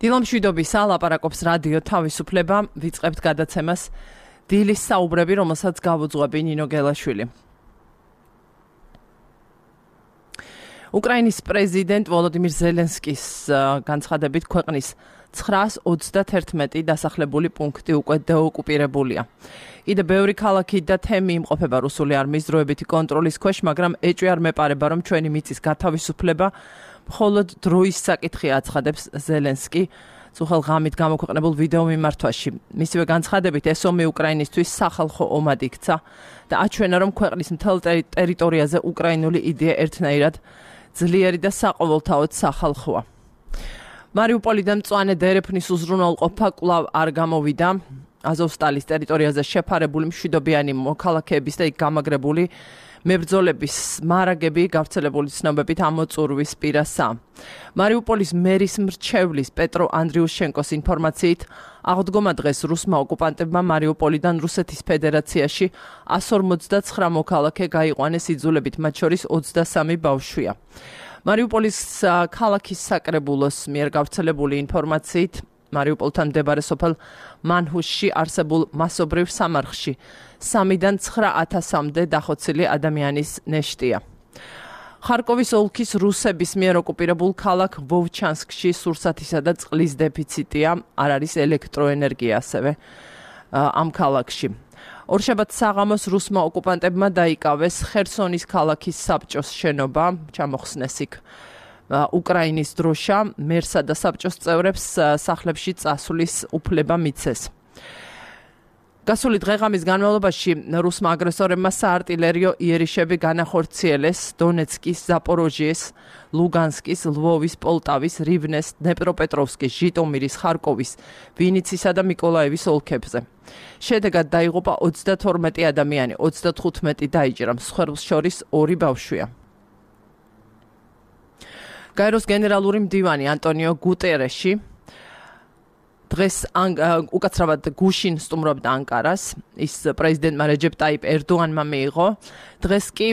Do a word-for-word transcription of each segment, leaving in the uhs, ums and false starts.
დილამშვიდობის ალაპარაკობს რადიო თავისუფლება, ვიწყებთ გადაცემას დილის საუბრები, რომელსაც გავუძღვები ნინო გელაშვილი. უკრაინის პრეზიდენტ ვოლოდიმირ ზელენსკის განცხადებით ქვეყნის ცხრაას ოცდაათი დასახლებული პუნქტი უკვე დაოკუპირებულია. Კიდევ ბევრი ქალაქი და თემი იმყოფება რუსული არმიის დროებითი კონტროლის ქვეშ, მაგრამ ეჭვი არ მეპარება, რომ ჩვენი მიწის გათავისუფლება მხოლოდ დროის საკითხია, აცხადებს ზელენსკი სუხელ ღამით გამოქვეყნებულ ვიდეო მიმართვაში. მისივე განცხადებით ეს ომი უკრაინისთვის სახალხო ომად იქცა და აჩვენა, რომ ქვეყნის მთელ ტერიტორიაზე უკრაინული იდეა ერთნაირად ძლიერი და საყოველთაოდ სახალხოა. მარიუპოლიდან მწვანე დერეფნის უზრუნველყოფა კვლავ არ გამოვიდა. აზოვსტალის ტერიტორიაზე შეფარებული მშვიდობიანი მოქალაქეების და იქ გამაგრებული მებრძოლების მარაგები გავრცელებული ცნობებით ამოწურვის პირასა. მარიუპოლის მერის მრჩევლის პეტრო ანდრიუშენკოს ინფორმაციით აღდგომა დღეს რუსმა ოკუპანტებმა მარიუპოლიდან რუსეთის ფედერაციაში εκατს ორმოცდაცხრა მოქალაქე გაიყვანეს იძულებით, მათ შორის ოცდასამი ბავშვია. მარიუპოლის ქალაქის საკრებულოს მიერ გავრცელებული ინფორმაციით მარიუპოლთან მდებარე სოფელ მანჰუსში არსებულ მასობრივ სამარხში სამიდან ცხრა ათასამდე დახოცილი ადამიანის ნეშტია. ხარკოვის ოლქის რუსების მიერ ოკუპირებულ ქალაქ ვოვჩანსკში სურსათისა და წყლის დეფიციტია, არ არის ელექტროენერგია ასევე ამ ქალაქში. ორშაბათს საღამოს რუსმა ოკუპანტებმა დაიკავეს ხერსონის ქალაქის საბჭოს შენობა, ჩამოხსნეს იქ უკრაინის დროშა, მერსა და საბჭოს წევრებს სახლებში წასვლის უფლება მიცეს. გასული დღეღამის განმავლობაში რუსმა აგრესორებმა საარტილერიო იერიშები განახორციელეს დონეცკის, ზაპოროჟიეს, ლუგანსკის, ლვოვის, პოლტავის, რივნეს, დნეპროპეტროვსკის, ჟიტომირის, ხარკოვის, ვინიცისა და მიკოლაევის ოლქებზე. შედეგად დაიღუპა ოცდათორმეტი ადამიანი, ოცდათხუთმეტი დაიჭრა, მსხვერპლს შორის ორი ბავშვია. გაეროს გენერალური მდივანი ანტონიო გუტერეში დღეს უკაცრავად გუშინ სტუმრობდა ანკარას, ის პრეზიდენტმა რეჯეპ ტაიპ ერდოღანმა მიიღო. დღეს კი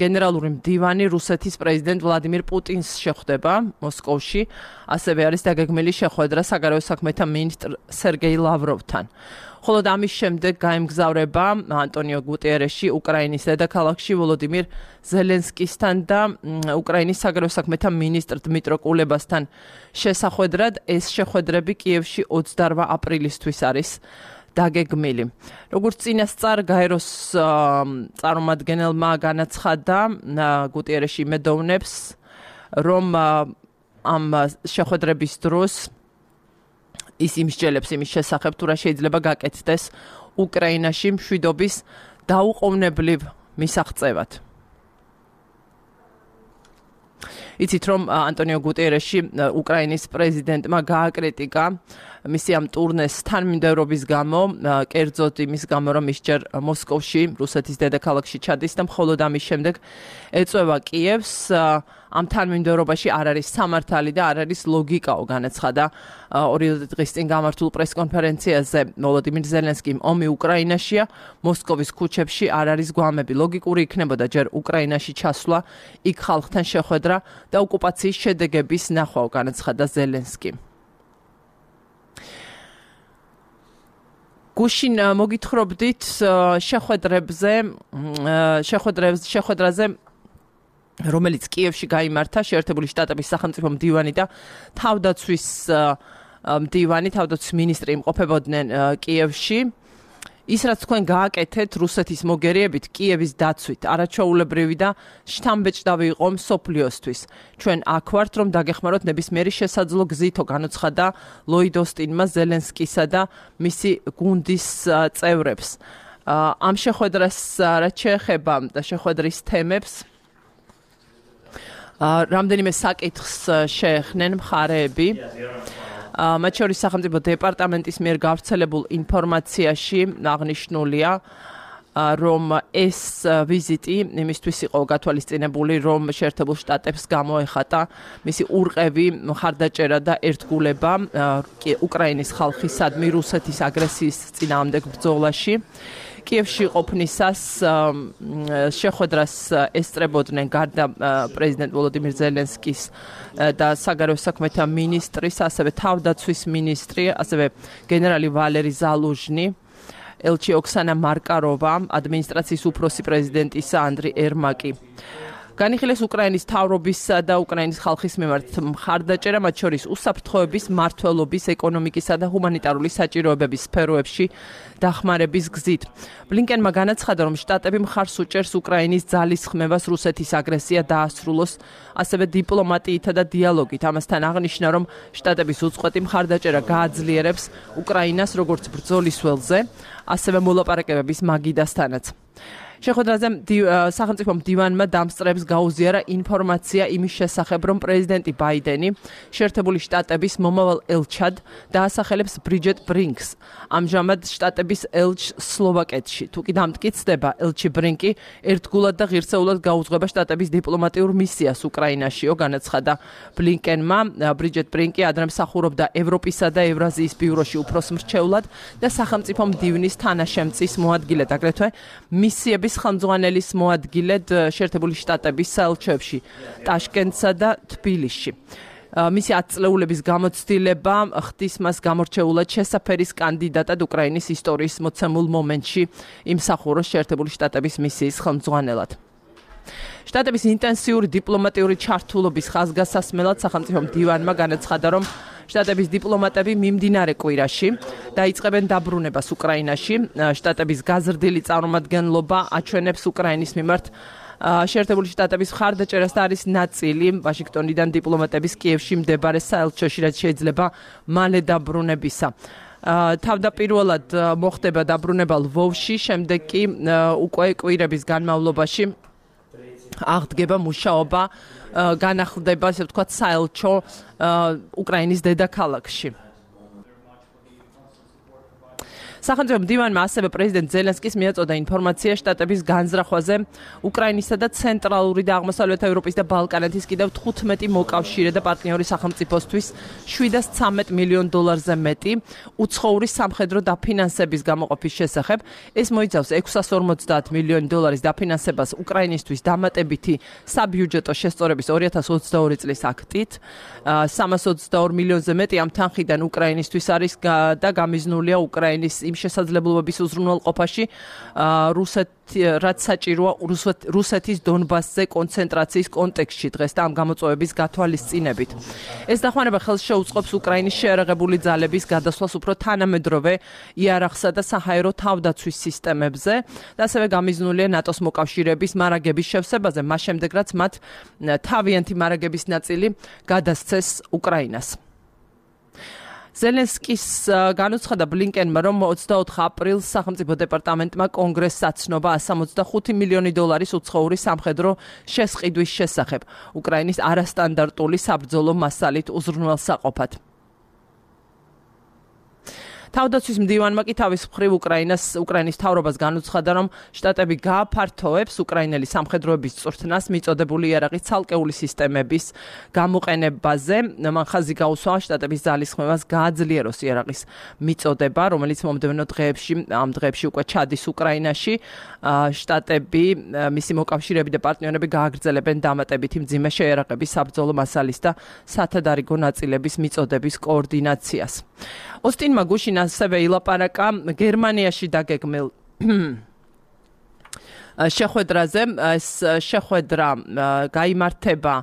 გენერალური მდივანი რუსეთის პრეზიდენტ ვლადიმირ პუტინს შეხვდება მოსკოვში, ასევე არის დაგეგმილი შეხვედრა საგარეო საქმეთა მინისტრ სერგეი ლავროვთან. ხოლო ამის შემდეგ გაემგზავრება ანტონიო გუტერეში უკრაინის დედაქალაქში ვოლოდიმირ ზელენსკისთან და უკრაინის საგარეო საქმეთა მინისტრ დმიტრო კულებასთან შესახვედრად. ეს შეხვედრები კიევში ოცდაოთხ აპრილისთვის არის დაგეგმილი. როგორც წინასწარ გაეროს წარმომადგენელმა განაცხადა, გუტერეში იმედოვნებს, რომ ამ შეხვედრების დროს ის იმსჯელებს იმის შესახებ, თუ რა შეიძლება გაკეთდეს უკრაინაში მშვიდობის დაუყოვნებლივ მისაღწევად. იცით, რომ ანტონიო გუტერეში უკრაინის პრეზიდენტმა გააკრიტიკა მისი ამ ტურნეს თანმიმდევრობის გამო, კერძოდ იმის გამო, რომ ის ჯერ მოსკოვში, რუსეთის დედაქალაქში ჩადის და მხოლოდ ამის შემდეგ ეწევა კიევს. ამ თანმიმდევრობაში არ არის სამართალი და არ არის ლოგიკაო, განაცხადა ორი დღის წინ გამართულ პრესკონფერენციაზე ვოლოდიმირ ზელენსკიმ. ომი უკრაინაშია, მოსკოვის ქუჩებში არ არის გვამები. ლოგიკური იქნებოდა ჯერ უკრაინაში ჩასვლა, იქ ხალხთან შეხვედრა და ოკუპაციის შედეგების ნახვა, განაცხადა ზელენსკიმ. გუშინ მოგითხრობდით შეხვედრებზე, შეხვედრებზე, შეხვედრაზე რომელიც კიევში გაიმართა შეერთებული შტატების სახელმწიფო მდივანი და თავდაცვის მდივანი, თავდაცვის მინისტრი იმყოფებოდნენ კიევში. ის რაც თქვენ გააკეთეთ რუსეთის მოგერიებით კიევის დაცვით, არაჩვეულებრივი და შთამბეჭდავი იყო მსოფლიოსთვის. ჩვენ აქ ვართ, რომ დაგეხმაროთ ნებისმიერი შესაძლო გზითო, განუცხადა ლოიდ ოსტინმა ზელენსკისა და მისი გუნდის წევრებს. ამ შეხვედრას რაც შეეხება და შეხვედრის თემებს რამდენიმე საკითხს შეეხნენ მხარეები. მათ შორის სახელმწიფო დეპარტამენტის მიერ გავრცელებულ ინფორმაციაში აღნიშნულია, რომ ეს ვიზიტი იმისთვის იყო გათვალისწინებული, რომ შეერთებულ შტატებს გამოეხატა მისი ურყევი მხარდაჭერა და ერთგულება უკრაინის ხალხისადმი რუსეთის აგრესიის წინააღმდეგ ბრძოლაში. კიევში ყოფნისას შეხვედრას ესწრებოდნენ გარდა პრეზიდენტ ვოლოდიმირ ზელენსკის და საგარეო საქმეთა მინისტრის, ასევე თავდაცვის მინისტრი, ასევე გენერალი ვალერი ზალუჟნი, ელჩი ოქსანა მარკაროვა, ადმინისტრაციის უფროსი პრეზიდენტისა ანდრი ერმაკი. განიხილეს უკრაინის მთავრობისა და უკრაინის ხალხის მიმართ მხარდაჭერა, მათ შორის უსაფრთხოების, მმართველობის, ეკონომიკისა და ჰუმანიტარული საჭიროებების სფეროებში დახმარების გზით. ბლინკენმა განაცხადა, რომ შტატები მხარს უჭერს უკრაინის ძალისხმევას რუსეთის აგრესია დაასრულოს, ასევე დიპლომატიითა და დიალოგით. ამასთან აღნიშნა, რომ შტატების უწყვეტი მხარდაჭერა გააძლიერებს უკრაინას როგორც ბრძოლის ველზე, ასევე მოლაპარაკებების მაგიდასთანაც. შეხვედრაზე სახელმწიფო მდივანმა დამსწრებს გაუზიარა ინფორმაცია იმის შესახებ, რომ პრეზიდენტი ბაიდენი შეერთებული შტატების მომავალ ელჩად დაასახელებს ბრიჯეტ ბრინკს. ამჟამად შტატების ელჩს სლოვაკეთში. თუ კი დამტკიცდება, ელჩი ბრინკი ერთგულად და ღირსეულად გაუძღვება შტატების დიპლომატიურ მისიას უკრაინაშიო, განაცხადა ბლინკენმა. ბრიჯეტ ბრინკი ადრე მსახურობდა ევროპისა და ევრაზიის ბიუროში უფროს მრჩევლად და სახელმწიფო მდივნის თანაშემწის მოადგილედ, აგრეთვე მისიების ხელმძღვანელის მოადგილედ შეერთებული შტატების საელჩოებში ტაშკენტსა და თბილისში. მისი ათწლეულების გამოცდილება ხდის მას გამორჩეულად შესაფერის კანდიდატად უკრაინის ისტორიის მოცემულ მომენტში იმსახუროს შეერთებული შტატების მისიის ხელმძღვანელად. შტატების ინტენსიური დიპლომატიური ჩართულობის ხაზგასასმელად სახელმწიფო მდივანმა განაცხადა, რომ შტატების დიპლომატები მიმდინარე კვირაში დაიწყებენ დაბრუნებას უკრაინაში. შტატების გაზრდილი წარმომადგენლობა აჩვენებს უკრაინის მიმართ შეერთებული შტატების მხარდაჭერას და არის ნაწილი ვაშინგტონიდან დიპლომატების კიევში მდებარე საელჩოში, რაც შეიძლება მალე დაბრუნებისა. თავდაპირველად მოხდება დაბრუნება ლვოვში, შემდეგ კი უკვე კვირების განმავლობაში აღდგება მუშაობა, განახლდება, ასე ვთქვათ, საელჩო უკრაინის დედაქალაქში. სახელმწიფო მდივანმა ასევე პრეზიდენტ ზელენსკის მიაწოდა ინფორმაცია შტატების განზრახვაზე უკრაინისა და ცენტრალური და აღმოსავლეთ ევროპის და ბალკანეთის კიდევ თხუთმეტი მოკავშირე და პარტნიორი სახელმწიფოსთვის შვიდას ცამეტ მილიონ დოლარზე მეტი უცხოური სამხედრო დაფინანსების გამოყოფის შესახებ. ეს მოიცავს ექვსას ორმოცდაათ მილიონი დოლარის დაფინანსებას უკრაინისთვის დამატებითი საბიუჯეტო შესწორების ორი ათას ოცდაორი წლის აქტით. სამას ოცდაორ მილიონზე მეტი ამ თანხიდან უკრაინისთვის არის და გამიზნულია უკრაინის იმ შესაძლებლობების უზრუნველყოფაში, რაც საჭიროა რუსეთის დონბასზე კონცენტრაციის კონტექსტში დღეს და ამ გამოწვევების გათვალისწინებით. ეს დახმარება ხელს შეუწყობს უკრაინის შეერაღებული ძალების გადასვლას უფრო თანამედროვე იარაღსა და საჰაერო თავდაცვის სისტემებზე და ასევე გამიზნულია ნატოს მოკავშირეების მარაგების შევსებაზე, მას შემდეგ რაც მათ თავიანთი მარაგების ნაწილი გადასცეს უკრაინას. ზელენსკის განუცხადა ბლინკენმა, რომ ოცდაოთხ აპრილს სახელმწიფო დეპარტამენტმა კონგრესს აცნობა εκατს ორმოცდახუთი მილიონი დოლარის უცხოური სამხედრო შესყიდვის შესახებ უკრაინის არასტანდარტული საბრძოლო მასალით უზრუნველსაყოფად. თავდაცვის მდივანმა კი თავის მხრივ უკრაინას უკრაინის მთავრობას განუცხადა, რომ შტატები გააფართოვებს უკრაინელი სამხედროების წვრთნას მიწოდებული იარაღის ცალკეული სისტემების გამოყენებაზე. მან ხაზი გაუსვა შტატების ძალისხმევას გააძლიეროს იარაღის მიწოდება, რომელიც მომდევნო დღეებში ამ დღეებში უკვე ჩადის უკრაინაში. შტატები, მისი მოკავშირეები და პარტნიორები გააგრძელებენ დამატებითი მძიმე შეიარაღების საბრძოლო მასალის და სათადარიგო ნაწილების მიწოდების კოორდინაციას. ოსტინმა გუშინ ასევე ილაპარაკა გერმანიაში დაგეგმილ შეხვედრაზე. ეს შეხვედრა გაიმართება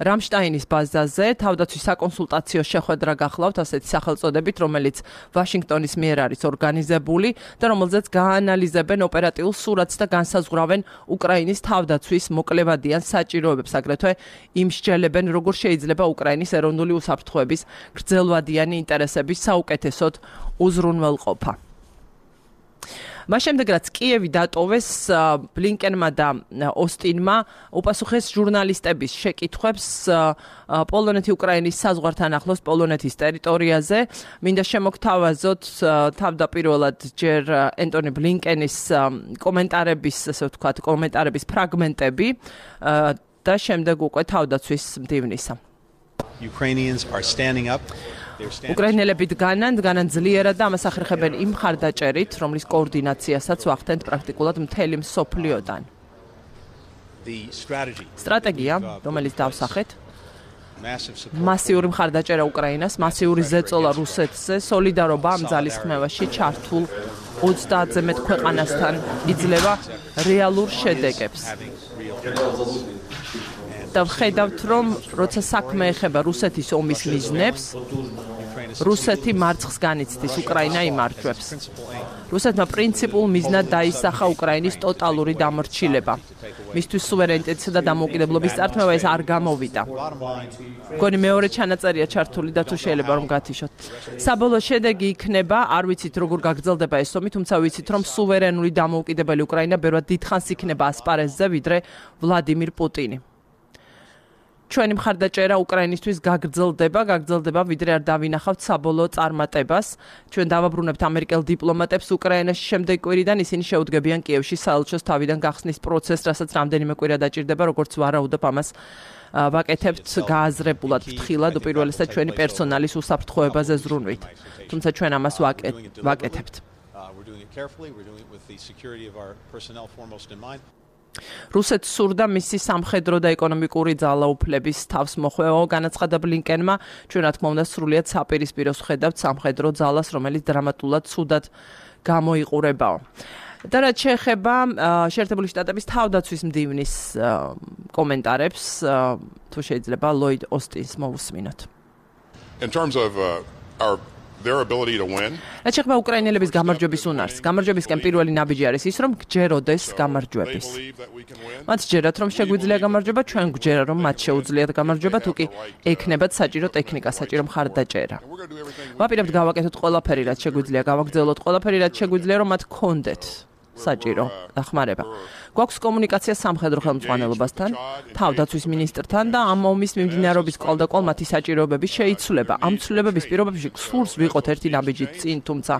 რამშტაინის ბაზაზე. თავდაცვის საკონსულტაციო შეხვედრა გახლავთ ასეთი სახელწოდებით, რომელიც ვაშინგტონის მიერ არის ორგანიზებული და რომელზეც გაანალიზებენ ოპერატიულ სურათს და განსაზღვრავენ უკრაინის თავდაცვის მოკლევადიან საჭიროებებს, აგრეთვე იმსჯელებენ, როგორ შეიძლება უკრაინის ეროვნული უსაფრთხოების გრძელვადიანი ინტერესების საუკეთესოდ უზრუნველყოფა. მას შემდეგ რაც კიევი დატოვეს, ბლინკენმა და ოსტინმა უპასუხეს ჟურნალისტების შეკითხვებს პოლონეთი უკრაინის საზღვართან ახლოს პოლონეთის ტერიტორიაზე. მინდა შემოგთავაზოთ თავდაპირველად ჯერ ენტონი ბლინკენის კომენტარების, ასე ვთქვათ, კომენტარების ფრაგმენტები და შემდეგ უკვე თავდაცვის მდივნისა. Ukrainians are standing up. უკრაინელები დგანან, დგანან ძლიერად და ამას ახერხებენ იმ მხარდაჭერით, რომლის კოორდინაციასაც ვახდენთ პრაქტიკულად მთელი მსოფლიოდან. სტრატეგია, რომელიც დავსახეთ, მასიური მხარდაჭერა უკრაინას, მასიური ზეწოლა რუსეთზე, სოლიდარობა ამ ძალისხმევაში ჩართულ ოცდაათზე მეტ ქვეყანასთან იძლევა რეალურ შედეგებს. და ვხედავთ, რომ როცა საქმე ეხება რუსეთის ომის მიზნებს, რუსეთი მარცხს განიცდის, უკრაინა იმარჯვებს. რუსეთმა პრინციპულ მიზნად დაისახა უკრაინის ტოტალური დამორჩილება. მისთვის სუვერენიტეტისა და დამოუკიდებლობის წართმევა ეს არ გამოვიდა. მგონი მეორე ჩანაწერია ჩართული და თუ შეიძლება რომ გათიშოთ. საბოლოო შედეგი იქნება, არ ვიცით როგორ გაგრძელდება ეს ომი, თუმცა ვიცით რომ სუვერენული დამოუკიდებელი უკრაინა ბევრად დიდხანს იქნება ასპარეზზე, ვიდრე ვლადიმირ პუტინი. ჩვენი მხარდაჭერა უკრაინისთვის გაგრძელდება, გაგრძელდება, ვიდრე არ დავინახავთ საბოლოო წარმატებას. ჩვენ დავაბრუნებთ ამერიკელ დიპლომატებს უკრაინაში შემდეგ კვირიდან, ისინი შეუდგებიან კიევში საელჩოს თავიდან გახსნის პროცესს, რასაც რამდენიმე კვირა დაჭირდება, როგორც ვარაუდობ ამას ვაკეთებთ გააზრებულად ფრთხილად, უპირველესად ჩვენი პერსონალის უსაფრთხოებაზე ზრუნვით. თუმცა ჩვენ ამას ვაკეთებთ. რუსეთს სურდა მისი სამხედრო და ეკონომიკური ძალაუფლების თავს მოხვევა, განაცხადა ბლინკენმა. ჩვენ რა თქმა უნდა სრულიად საპირისპიროს ვხედავთ სამხედრო ძალას, რომელიც დრამატულად ცუდად გამოიყურებაო. და რაც შეეხება შეერთებული შტატების თავდაცვის მდივნის კომენტარებს, თუ შეიძლება ლოიდ ოსტინს მოვუსმინოთ. In terms of uh, our their ability to win. რაც შეეხება უკრაინელების გამარჯვების უნარს, გამარჯვებისკენ პირველი ნაბიჯი არის ის, რომ გჯეროდეს გამარჯვების. მათ ჯერათ, რომ შეგვიძლია გამარჯვება, ჩვენ გვჯერა, რომ მათ შეუძლიათ გამარჯვება, თუ კი ექნებათ საჭირო ტექნიკა, საჭირო მხარდაჭერა. ვაპირებთ გავაკეთოთ ყველაფერი, რაც შეგვიძლია, გავაგრძელოთ ყველაფერი, რაც შეგვიძლია, რომ მათ გქონდეთ საჭირო დახმარება. გვაქვს კომუნიკაცია სამხედრო ხელმძღვანელობასთან, თავდაცვის მინისტრთან და ამ ომის მიმდინარეობის კვალდაკვალ მათი საჭიროებები შეიცვლება. ამ ცვლილებების პირობებში სურს ვიყოთ ერთი ნაბიჯით წინ, თუმცა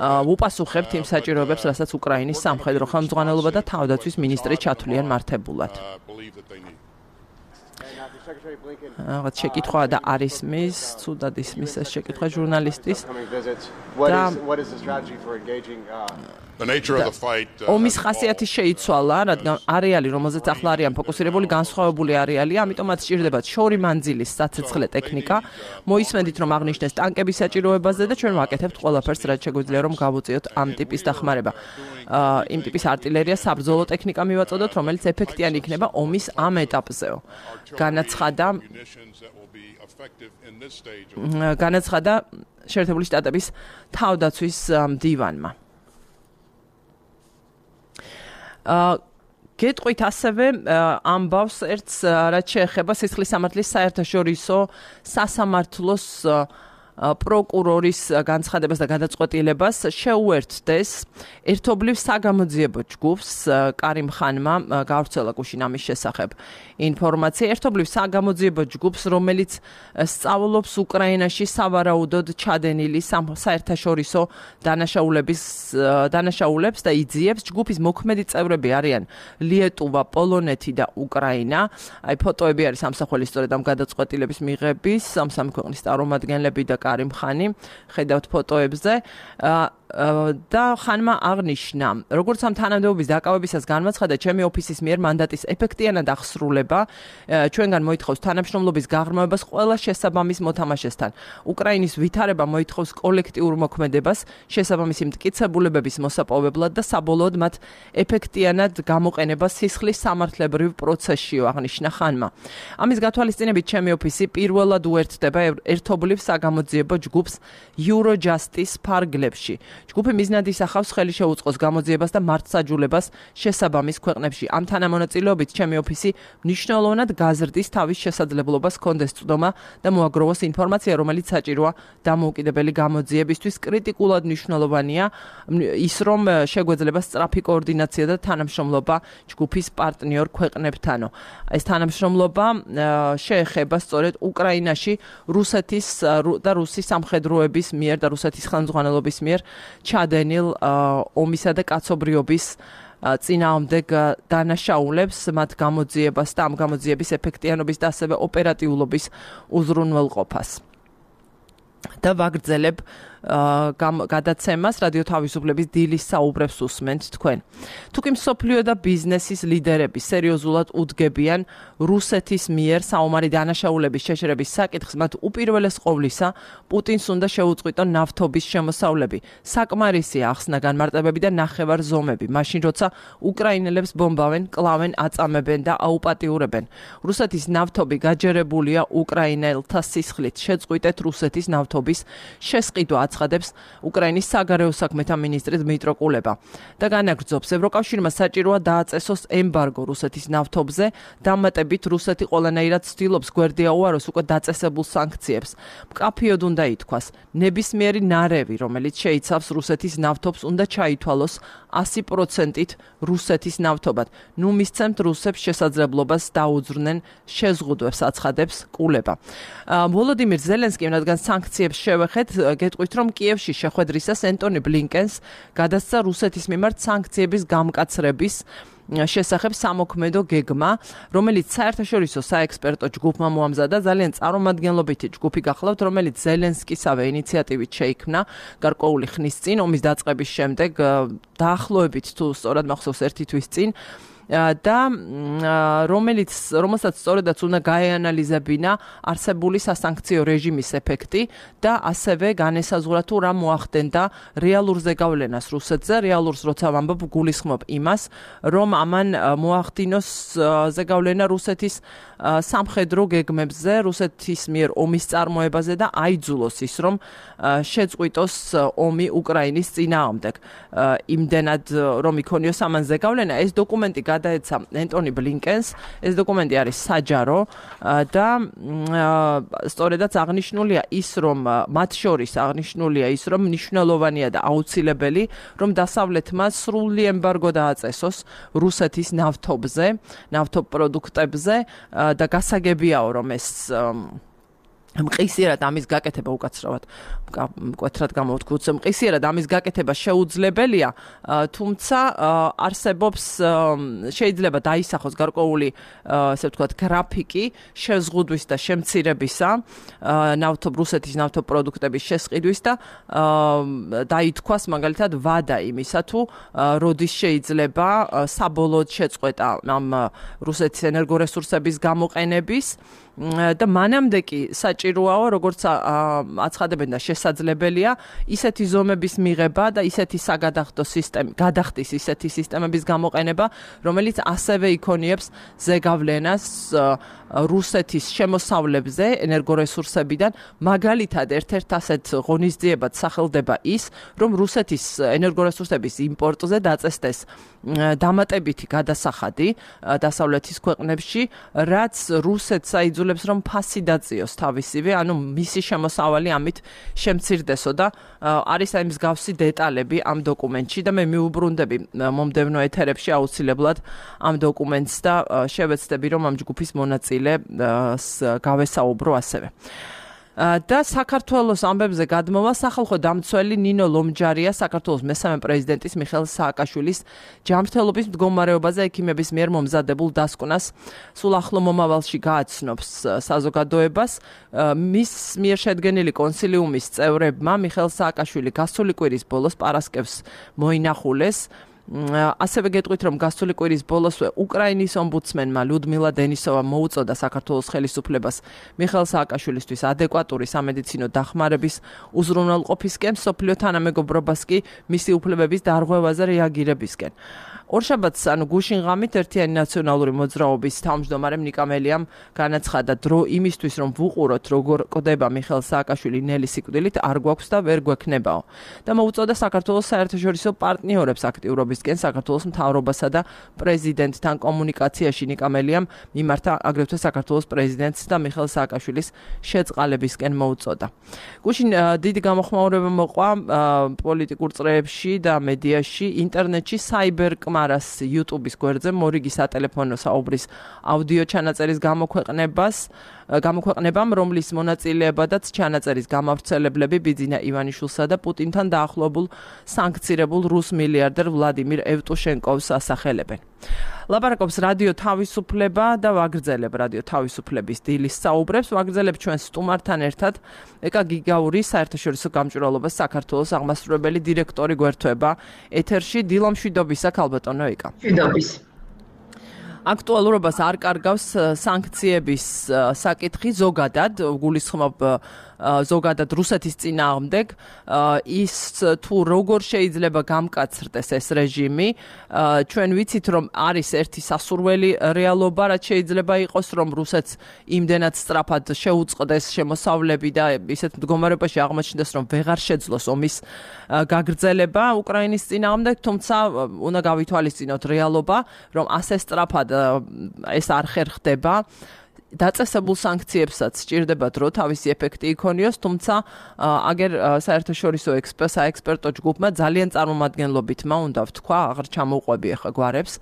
ვუპასუხებთ იმ საჭიროებებს, რასაც უკრაინის სამხედრო ხელმძღვანელობა და თავდაცვის მინისტრი ჩათვლიან მართებულად. რაღაც შეკითხვა და არ ისმის, ცუდად ისმის ეს შეკითხვა ჟურნალისტის. The nature of the fight. ომის ხასიათი შეიცვალა, რადგან არეალი, რომელზეც ახლა არიან ფოკუსირებული, განსხვავებული არეალია, ამიტომ მათ სჭირდებათ შორი მანძილის საცეცხლე ტექნიკა. მოისმენთ, რომ აღნიშნეს ტანკების საჭიროებაზე და ჩვენ ვაკეთებთ ყველაფერს, რაც შეგვიძლია, რომ გავუწიოთ ამ ტიპის დახმარება. იმ ტიპის არტილერია საბრძოლო ტექნიკა მივაწოდოთ, რომელიც ეფექტიანი იქნება ომის ამ ეტაპზეო. განაცხადა განაცხადა შეერთებული შტატების თავდაცვის მდივანმა. გეტყვით ასევე ამბავს ერთს, რაც შეეხება სისხლის სამართლის საერთაშორისო სასამართლოს პროკურორის განცხადებას და გადაწყვეტილებას შეუერთდეს ერთობლივ საგამოძიებო ჯგუფს. კარიმ ხანმა გავრცელა გუშინ ამის შესახებ ინფორმაცია. ერთობლივ საგამოძიებო ჯგუფს, რომელიც სწავლობს უკრაინაში სავარაუდოდ ჩადენილი საერთაშორისო დანაშაულების დანაშაულებს და იძიებს. ჯგუფის მოქმედი წევრები არიან ლიეტუვა, პოლონეთი და უკრაინა. აი ფოტოები არის ამსახველი სწორედ ამ გადაწყვეტილების მიღების, ამ სამი ქვეყნის წარმომადგენლები და კარიმ ხანი, ხედავთ ფოტოებზე. და ხანმა აღნიშნა, როგორც ამ თანამდებობის დაკავებისას განმაცხადა, ჩემი ოფისის მიერ მანდატის ეფექტიანად აღსრულება ჩვენგან მოითხოვს თანამშრომლობის გაღრმავებას ყველა შესაბამის მოთამაშესთან. უკრაინის ვითარება მოითხოვს კოლექტიურ მოქმედებას, შესაბამისი მტკიცებულებების მოსაპოვებლად და საბოლოოდ მათ ეფექტიანად გამოყენებას სისხლის სამართლებრივ პროცესშიო, აღნიშნა ხანმა. ამის გათვალისწინებით ჩემი ოფისი პირველად უერთდება ერთობლივ საგამოძიებო ჯგუფს Eurojust-ის ფარგლებში. ჯგუფი მიზნად ისახავს ხელი შეუწყოს გამოძიებას და მართლმსაჯულებას შესაბამის ქვეყნებში. ამ თანამონაწილეობით ჩემი ოფისი მნიშვნელოვნად გაზრდის თავის შესაძლებლობას კონდეს წვდომა და მოაგროვოს ინფორმაცია, რომელიც საჭიროა დამოუკიდებელი გამოძიებისთვის. კრიტიკულად მნიშვნელოვანია ის, რომ შეგვეძლება სწრაფი კოორდინაცია და თანამშრომლობა ჯგუფის პარტნიორ ქვეყნებთანო. ეს თანამშრომლობა შეეხება სწორედ უკრაინაში რუსეთის და რუსის სამხედროების მიერ და რუსეთის ხელმძღვანელობის მიერ ჩადენილ ომისა და კაცობრიობის წინააღმდეგ დანაშაულებს, მათ გამოძიებას და ამ გამოძიების ეფექტიანობის და ასევე ოპერატიულობის უზრუნველყოფას. და ვაგრძელებ გადაცემას რადიო თავისუფლების დილის საუბრებს უსმენთ თქვენ. თუკი მსოფლიო და ბიზნესის ლიდერები სერიოზულად უდგებიან რუსეთის მიერ საომარი დანაშაულების შეშრების საკითხს, მათ უპირველეს ყოვლისა პუტინს უნდა შეუწყვიტონ ნავთობის შემოსავლები. საკმარისია ახსნა განმარტებები და ნახევარ ზომები, მაშინ როცა უკრაინელებს ბომბავენ, კლავენ, აწამებენ და აუპატიურებენ. რუსეთის ნავთობი გაჯერებულია უკრაინელთა სისხლით. შეწყვიტეთ რუსეთის ნავთობის შესყიდვა, აცხადებს უკრაინის საგარეო საქმეთა მინისტრი დმიტრო კულება. და განაგრძობს, ევროკავშირმა საჭიროა დააწესოს ემბარგო რუსეთის ნავთობზე, დამატებით რუსეთი ყველანაირად ცდილობს გვერდი აუაროს უკვე დაწესებულ სანქციებს. მკაფიოდ უნდა ითქვას, ნებისმიერი ნარევი, რომელიც შეიცავს რუსეთის ნავთობს, უნდა ჩაითვალოს ასი პროცენტით რუსეთის ნავთობად. ნუ მისცემთ რუსებს შესაძლებლობას დაუძრნენ შეზღუდვებს, აცხადებს კულება. ვოლოდიმირ ზელენსკიმ, რადგან სანქციებს შევეხეთ, გეტყვით, რომ კიევში შეხვედრისას ენტონი ბლინკენს გადასცა რუსეთის მიმართ სანქციების გამკაცრების შესახებ სამოქმედო გეგმა, რომელიც საერთაშორისო საექსპერტო ჯგუფმა მოამზადა. ძალიან წარმომადგენლობითი ჯგუფი გახლავთ, რომელიც ზელენსკისავე ინიციატივით შეიქმნა გარკვეული ხნის წინ, ომის დაწყების შემდეგ, დაახლოებით თუ სწორად მახსოვს ერთი თვის წინ. და რომელიც რომელსაც სწორედაც უნდა გაეანალიზებინა არსებული სასანქციო რეჟიმის ეფექტი და ასევე განესაზღვრა თუ რა მოახდენდა რეალურ ზეგავლენას რუსეთზე. რეალურს როცა ვამბობ, გულისხმობ იმას, რომ ამან მოახდინოს ზეგავლენა რუსეთის სამხედრო გეგმებზე, რუსეთის მიერ ომის წარმოებაზე და აიძულოს ის, რომ შეწყვიტოს ომი უკრაინის წინააღმდეგ. იმდენად რომ იქონიოს ამან ზეგავლენა, ეს დოკუმენტი გადაეცა ენტონი ბლინკენს. ეს დოკუმენტი არის საჯარო და სწორედაც აღნიშნულია ის, რომ მათ შორის აღნიშნულია ის, რომ მნიშვნელოვანია და აუცილებელი, რომ დასავლეთმა სრული ემბარგო დააწესოს რუსეთის ნავთობზე, ნავთობ პროდუქტებზე და გასაგებიაო, რომ ეს მყისიერად ამის გაკეთება უკაცრავად მკვეთრად გამოვთქვი, მყისიერად ამის გაკეთება შეუძლებელია, თუმცა არსებობს შეიძლება დაისახოს გარკვეული, ასე ვთქვათ, გრაფიკი შეზღუდვის და შემცირებისა, ნავთობ რუსეთის ნავთობ პროდუქტების შესყიდვის და დაითქვას მაგალითად ვადა იმისა, თუ როდის შეიძლება საბოლოოდ შეწყვეტა ამ რუსეთის ენერგორესურსების გამოყენების და მანამდე კი საჭიროაო, როგორც აცხადებენ და შესაძლებელია, ისეთი ზომების მიღება და ისეთი საგადახდო სისტემა, გადახდის ისეთი სისტემების გამოყენება, რომელიც ასევე იქონიებს ზეგავლენას რუსეთის შემოსავლებზე ენერგორესურსებიდან. მაგალითად, ერთ-ერთ ასეთ ღონისძიებად სახელდება ის, რომ რუსეთის ენერგორესურსების იმპორტზე დაწესდეს დამატებითი გადასახადი დასავლეთის ქვეყნებში, რაც რუსეთს აიძულებს, რომ ფასი დაწიოს თავისივე, ანუ მისი შემოსავალი ამით შემცირდესო და არის აი მსგავსი დეტალები ამ დოკუმენტში და მე მიუბრუნდები მომდევნო ეთერებში აუცილებლად ამ დოკუმენტს და შევეცდები, რომ ამ ჯგუფის მონაწილე გავესაუბრო ასევე. და საქართველოს ამბებზე გადმოვა სახალხო დამცველი ნინო ლომჯარია საქართველოს მესამე პრეზიდენტის მიხეილ სააკაშვილის ჯანმრთელობის მდგომარეობაზე ექიმების მიერ მომზადებულ დასკვნას სულ ახლო მომავალში გააცნობს საზოგადოებას. მის მიერ შედგენილი კონსილიუმის წევრებმა მიხეილ სააკაშვილი გასული კვირის ბოლოს პარასკევს მოინახულეს. ასევე გეტყვით, რომ გასული კვირის ბოლოსვე უკრაინის ომბუდსმენმა ლიუდმილა დენისოვა მოუწოდა საქართველოს ხელისუფლებას მიხეილ სააკაშვილისთვის ადეკვატური სამედიცინო დახმარების უზრუნველყოფისკენ, მსოფლიო თანამეგობრობას კი მისი უფლებების დარღვევაზე რეაგირებისკენ. ორშაბათს ანუ გუშინ ღამით ერთიანი ნაციონალური მოძრაობის თავმჯდომარემ ნიკა მელიამ განაცხადა დრო იმისთვის რომ ვუყუროთ როგორ კვდება მიხეილ სააკაშვილი ნელი სიკვდილით არ გვაქვს და ვერ გვექნებაო და მოუწოდა საქართველოს საერთაშორისო პარტნიორებს აქტიურობისკენ საქართველოს მთავრობასა და პრეზიდენტთან კომუნიკაციაში ნიკა მელიამ მიმართა აგრეთვე საქართველოს პრეზიდენტს და მიხეილ სააკაშვილის შეწყალებისკენ მოუწოდა. გუშინ დიდი გამოხმაურება მოყვა პოლიტიკურ წრეებში და მედიაში, ინტერნეტში საიბერკმარას YouTube-ის გვერდზე მორიგი სატელეფონო საუბრის აუდიო ჩანაწერის გამოქვეყნებას გამოქვეყნებამ, რომლის მონაწილეებადაც ჩანაწერის გამავრცელებლები ბიძინა ივანიშვილსა და პუტინთან დაახლოებულ სანქცირებულ რუს მილიარდერ ვლადიმირ ევტუშენკოვს ასახელებენ. ლაპარაკობს რადიო თავისუფლება და ვაგრძელებ რადიო თავისუფლების დილის საუბრებს, ვაგრძელებ ჩვენ სტუმართან ერთად ეკა გიგაური საერთაშორისო გამჭვირვალობას საქართველოს აღმასრულებელი დირექტორი გვერდთვება ეთერში დილო მშვიდობისა ქალბატონო ეკა. მშვიდობის. აქტუალურობას არ კარგავს სანქციების საკითხი ზოგადად, გულისხმობ ზოგადად რუსეთის წინააღმდეგ, ის თუ როგორ შეიძლება გამკაცრდეს ეს რეჟიმი, ჩვენ ვიცით რომ არის ერთი სასურველი რეალობა, რაც შეიძლება იყოს რომ რუსეთს იმდენად სწრაფად შეუწყდეს შემოსავლები და ისეთ მდგომარეობაში აღმოჩნდეს რომ ვეღარ შეძლოს ომის გაგრძელება უკრაინის წინააღმდეგ, თუმცა უნდა გავითვალისწინოთ რეალობა, რომ ასე სწრაფად ეს არ ხერხდება. დაწესებულ სანქციებსაც სჭირდება დრო თავისი ეფექტი იქონიოს, თუმცა აგერ საერთაშორისო საექსპერტო ჯგუფმა ძალიან წარმომადგენლობითმა უნდა ვთქვა, აღარ ჩამოუყვები ახლა გვარებს.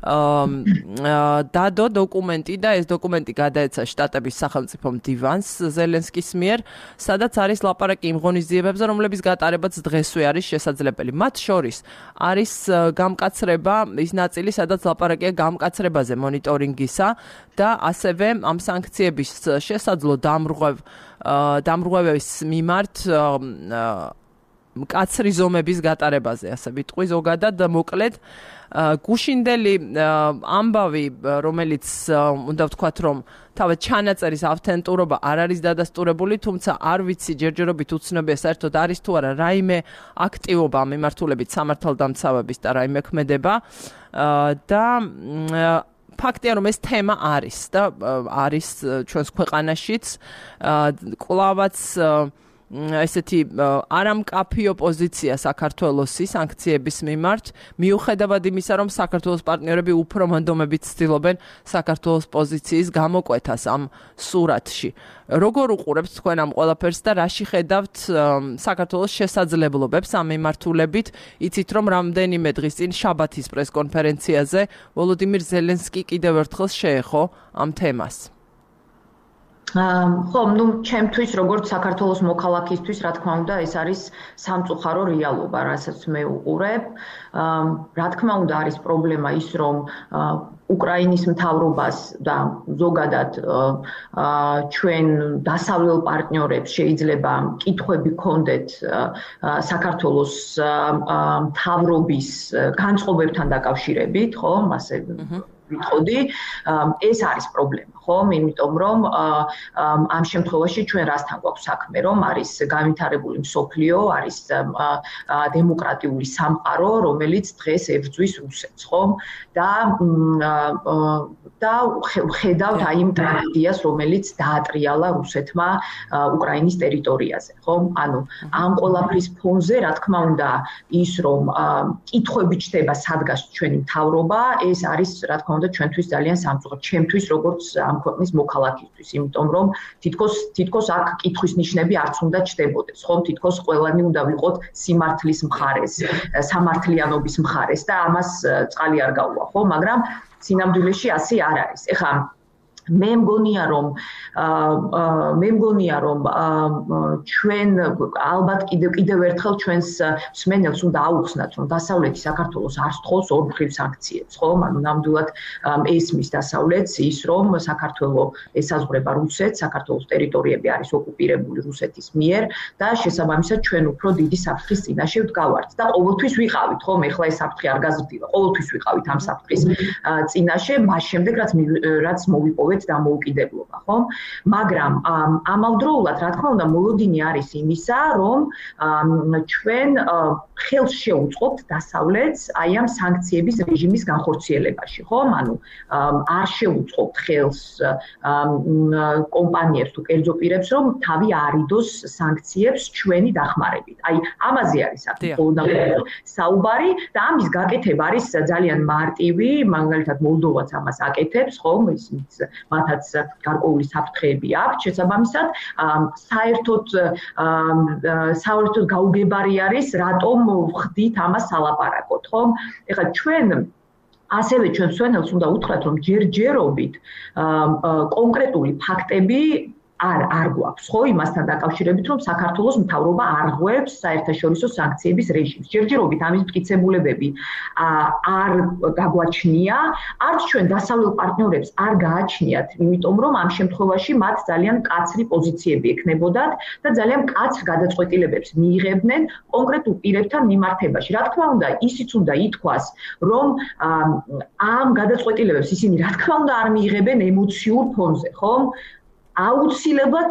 დადო დოკუმენტი და ეს დოკუმენტი გადაეცა შტატების სახელმწიფო მდივანს ზელენსკის მიერ, სადაც არის ლაპარაკი იმ ღონისძიებებზე, რომლების გატარებაც დღესვე არის შესაძლებელი. მათ შორის არის გამკაცრება, ის ნაწილი, სადაც ლაპარაკია გამკაცრებაზე მონიტორინგისა და ასევე ამ სანქციების შესაძლო დამრღვევ დამრღვევების მიმართ მკაცრი ზომების გატარებაზე, ასე ვიტყვი ზოგადად მოკლედ გუშინდელი ამბავი, რომელიც უნდა ვთქვათ, რომ თავად ჩანაწერის ავთენტურობა არ არის დადასტურებული, თუმცა არ ვიცი ჯერჯერობით უცნობია საერთოდ არის თუ არა რაიმე აქტივობა მიმართულებით სამართალდამცავების და რაიმე ქმედება და ფაქტია რომ ეს თემა არის და არის ჩვენს ქვეყანაშიც კლავაც ესეთი არამკაფიო პოზიცია საქართველოსი სანქციების მიმართ, მიუხედავად იმისა, რომ საქართველოს პარტნიორები უფრო მონდომებით ცდილობენ საქართველოს პოზიციის გამოკვეთას ამ სურათში. როგორ უყურებთ თქვენ ამ ყველაფერს და რაში ხედავთ საქართველოს შესაძლებლობებს ამ მიმართულებით? იცით რომ რამდენიმე დღის წინ შაბათის პრესკონფერენციაზე ვოლოდიმირ ზელენსკი კიდევ ერთხელ შეეხო ამ თემას. ხო, ну, ჩემთვის როგორც საქართველოს მოქალაქისთვის, რა თქმა უნდა, ეს არის სამწუხარო რეალობა, რასაც მე უყურებ. რა თქმა უნდა, არის პრობლემა ის, რომ უკრაინის მთავრობას და ზოგადად ჩვენ დასავლელ პარტნიორებს შეიძლება კითხვები ჰქონდეთ საქართველოს მთავრობის განწყობებთან დაკავშირებით, ხო, ასე ვიტყოდი, ეს არის პრობლემა, ხო, იმიტომ რომ ამ შემთხვევაში ჩვენ რასთან გვაქვს საქმე, რომ არის განვითარებული მსოფლიო, არის დემოკრატიული სამყარო, რომელიც დღეს ებრძვის რუსეთს, ხო? და და ხედავთ აი იმ ტრაგედიას, რომელიც დაატრიალა რუსეთმა უკრაინის ტერიტორიაზე, ხო? ანუ ამ ყველაფრის ფონზე, რა თქმა უნდა, ის რომ კითხვები ჩდება სადგას ჩვენი მთავრობა, ეს არის რა თქმა უნდა ჩვენთვის ძალიან სამწუხარო, ჩემთვის როგორც ამ ქვეყნის მოქალაქისთვის, იმიტომ რომ თითქოს თითქოს აქ კითხვის ნიშნები არც უნდა ჩდებოდეს, ხო? თითქოს ყველანი უნდა ვიყოთ სიმართლის მხარეს, სამართლიანობის მხარეს და ამას წყალი არ გაუვა, ხო? მაგრამ სინამდვილეში ასე არ არის. ეხლა მე მგონია რომ მე მგონია რომ ჩვენ ალბათ კიდევ კიდევ ერთხელ ჩვენს მსმენელს უნდა აუხსნათ რომ დასავლეთი საქართველოს არ სთხოვს ორმხრივ სანქციებს, ხო? ანუ ნამდვილად ესმის დასავლეთს ის რომ საქართველო ესაზღვრება რუსეთს, საქართველოს ტერიტორიები არის ოკუპირებული რუსეთის მიერ და შესაბამისად ჩვენ უფრო დიდი საფრთხის წინაშე ვდგავართ და ყოველთვის ვიყავით, ხო? ეხლა ეს საფრთხე არ გაზრდილა, ყოველთვის ვიყავით ამ საფრთხის წინაშე, მას შემდეგ რაც რაც მოვიპოვეთ დასავლეთ დამოუკიდებლობა, ხომ? მაგრამ ამავდროულად, რა თქმა უნდა, მოლოდინი არის იმისა, რომ ჩვენ ხელს შევუწყობთ დასავლეთს აი ამ სანქციების რეჟიმის განხორციელებაში, ხომ? ანუ არ შევუწყობთ ხელს კომპანიებს თუ კერძო პირებს, რომ თავი არიდოს სანქციებს ჩვენი დახმარებით. აი, ამაზე არის საფუძვლად საუბარი და ამის გაკეთება არის ძალიან მარტივი, მაგალითად მოლდოვაც ამას აკეთებს, ხომ? ისინიც მათაც გარკვეული საფრთხეები აქვს შესაბამისად, საერთოდ საერთოდ გაუგებარი არის, რატომ ვხდით ამას სალაპარაკოთ, ხომ? ეხლა ჩვენ ასევე ჩვენ მსვენელს უნდა უთხრათ, რომ ჯერჯერობით კონკრეტული ფაქტები არ არ გვაქვს, ხო, იმასთან დაკავშირებით, რომ საქართველოს მთავრობა არღვევს საერთაშორისო სანქციების რეჟიმს. ჯერჯერობით ამის მტკიცებულებები არ გაგვაჩნია, არც ჩვენ დასავლელ პარტნიორებს არ გააჩნიათ, იმიტომ რომ ამ შემთხვევაში მათ ძალიან მკაცრი პოზიციები ექნებოდათ და ძალიან მკაცრ გადაწყვეტილებებს მიიღებდნენ კონკრეტულ პირებთან მიმართებაში. რა თქმა უნდა, ისიც უნდა ითქვას, რომ ამ გადაწყვეტილებებს ისინი რა თქმა უნდა არ მიიღებენ ემოციურ ფონზე, ხომ? აუცილებლად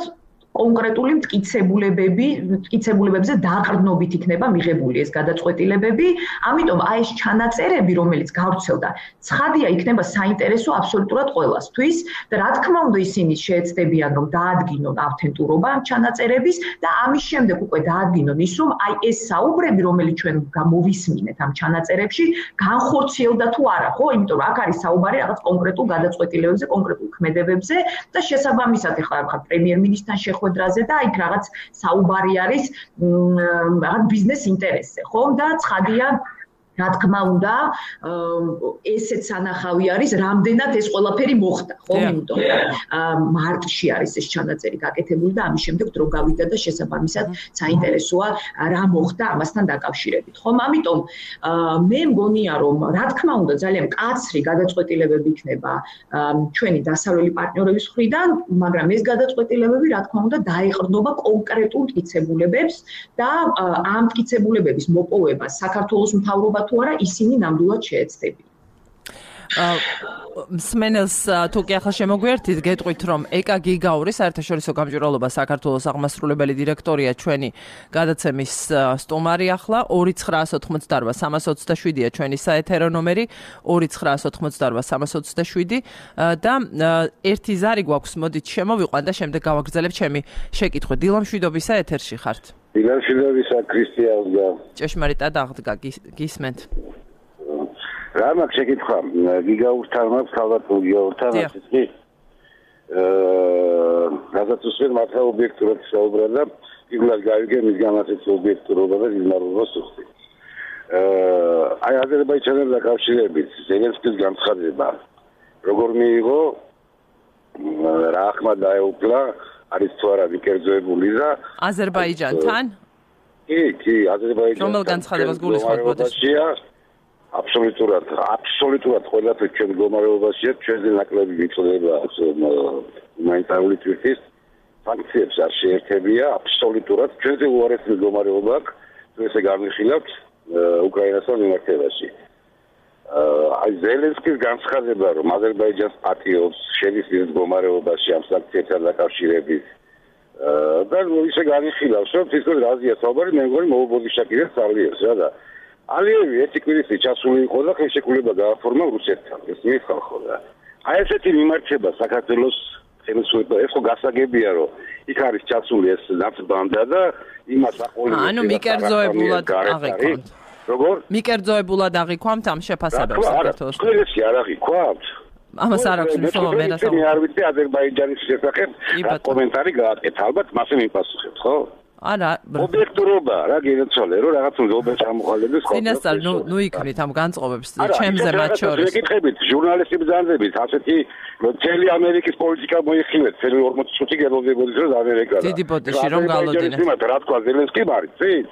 კონკრეტული მტკიცებულებები, მტკიცებულებებზე დაყრდნობით იქნება მიღებული ეს გადაწყვეტილებები, ამიტომ აი ეს ჩანაწერები, რომელიც გავრცელდა, ცხადია იქნება საინტერესო აბსოლუტურად ყველასთვის და რა თქმა უნდა ისინი შეეცდებიან რომ დაადგინონ ავთენტურობა ამ ჩანაწერების და ამის შემდეგ უკვე დაადგინონ ის რომ აი ეს საუბრები, რომელიც ჩვენ გამოვისმინეთ ამ ჩანაწერებში, განხორციელდა თუ არა, ხო? იმიტომ რომ აქ არის საუბარი რაღაც კონკრეტულ გადაწყვეტილებებზე, კონკრეტულ ქმედებებზე და შესაბამისად ახლა ახლა პრემიერ-მინისტრთან შეხვედრაზე და იქ რაღაც საუბარი არის რაღაც ბიზნეს ინტერესზე, ხომ? და ცხადია რა თქმა უნდა, ესეც სანახავი არის, რამდენად ეს ყველაფერი მოხდა, ხო? იმიტომ მარტში არის ეს ჩანაწერი გაკეთებული და ამის შემდეგ დრო გავიდა და შესაბამისად საინტერესოა რა მოხდა ამასთან დაკავშირებით, ხომ? ამიტომ მე მგონია, რომ რა თქმა უნდა, ძალიან მკაცრი გადაწყვეტილებები იქნება ჩვენი დასავლელი პარტნიორების მხრიდან, მაგრამ ეს გადაწყვეტილებები რა თქმა უნდა დაეყრდნობა კონკრეტულ მტკიცებულებებს და ამ მტკიცებულებების მოპოვება საქართველოს მთავრობა თუ არა ისინი ნამდვილად შეეცდებიან. მსმენელს თუ კი ახლა შემოგვიერთით, გეტყვით რომ ეკა გიგაური საერთაშორისო გამჭვირვალობა საქართველოს აღმასრულებელი დირექტორია ჩვენი გადაცემის სტუმარი ახლა ორი ცხრაას ოთხმოცდარვა სამას ოცდაშვიდია ჩვენი საეთერო ნომერი ორი ცხრაას ოთხმოცდარვა სამას ოცდაშვიდი და ერთი ზარი გვაქვს, მოდით შემოვიყვან და შემდეგ გავაგრძელებ ჩემი შეკითხვა. დილა მშვიდობისა, ეთერში ხართ. დილა მშვიდობისა, ქრისტიანია. ჭეშმარიტად აღდგა, გისმენთ. რა მაქვს შეკითხვა? გიგაურთან მაქვს, ალბათ გიგაურთან ასეთი კი აა რაღაც უსვენ მართლა ობიექტურად საუბრა და იგულად გავიგე მის გამაცეთ ობიექტურობა და გიზმარობას უხდი. აა აი აზერბაიჯანთან დაკავშირებით ზელენსკის განცხადება როგორ მიიღო, რა ახმა დაეუფლა, არის თუ არა მიკერძოებული და აზერბაიჯანთან? კი, კი, აზერბაიჯანთან. რომელ განცხადებას გულისხმობთ ბოდიშია? აბსოლუტურად, აბსოლუტურად ყველაფერი ჩვენ მდგომარეობაშია, ჩვენზე ნაკლები მიწოდება ჰუმანიტარული თვითის სანქციებს არ შეერთებია, აბსოლუტურად ჩვენზე უარესი მდგომარეობა აქვს, თუ ესე გამიხილავთ უკრაინასთან მიმართებაში. აი ზელენსკის განცხადება, რომ აზერბაიჯანს პატიობს შედის ის მდგომარეობაში ამ სანქციებთან დაკავშირებით და ისე განიხილავს, რომ თითქოს რაზეა საუბარი, მე მგონი მოუბოდიშა კიდე სწავლიერს რა და ალიევი ერთი კვირისი ჩასული იყო და ხელშეკრულება გააფორმა რუსეთთან. ეს მიხალხო და აი ესეთი მიმართება საქართველოს ხელისუფლება, ეს ხო გასაგებია, რომ იქ არის ჩასული ეს ნაცბანდა და იმას აყოლებს. ანუ მიკერძოებულად აღიქვამთ. როგორ? მიკერძოებულად აღიქვამთ ამ შეფასებებს საქართველოს. ყველასი არ აღიქვამთ. ამას არ აქვს მნიშვნელობა მე რასაუბრობ. მე არ ვიცი აზერბაიჯანის შესახებ კომენტარი გააკეთა, ალბათ მასე მიპასუხებთ, ხო? არა, ობიექტურობა, რა გინაცვალე, რომ რაღაც უნდა ჩამოყალიბდეს ხო? წინასწარ, ნუ ნუ იქნით ამ განწყობებს ჩემზე მათ შორის. მეკითხებით, ჟურნალისტი ბრძანდებით, ასეთი მთელი ამერიკის პოლიტიკა მოიხილეთ, წელი ორმოცი ხუთი გელოდებოდის რომ ამერიკა. დიდი ბოდიში რომ გალოდინეთ. რა თქვა ზელენსკი არის, წინ?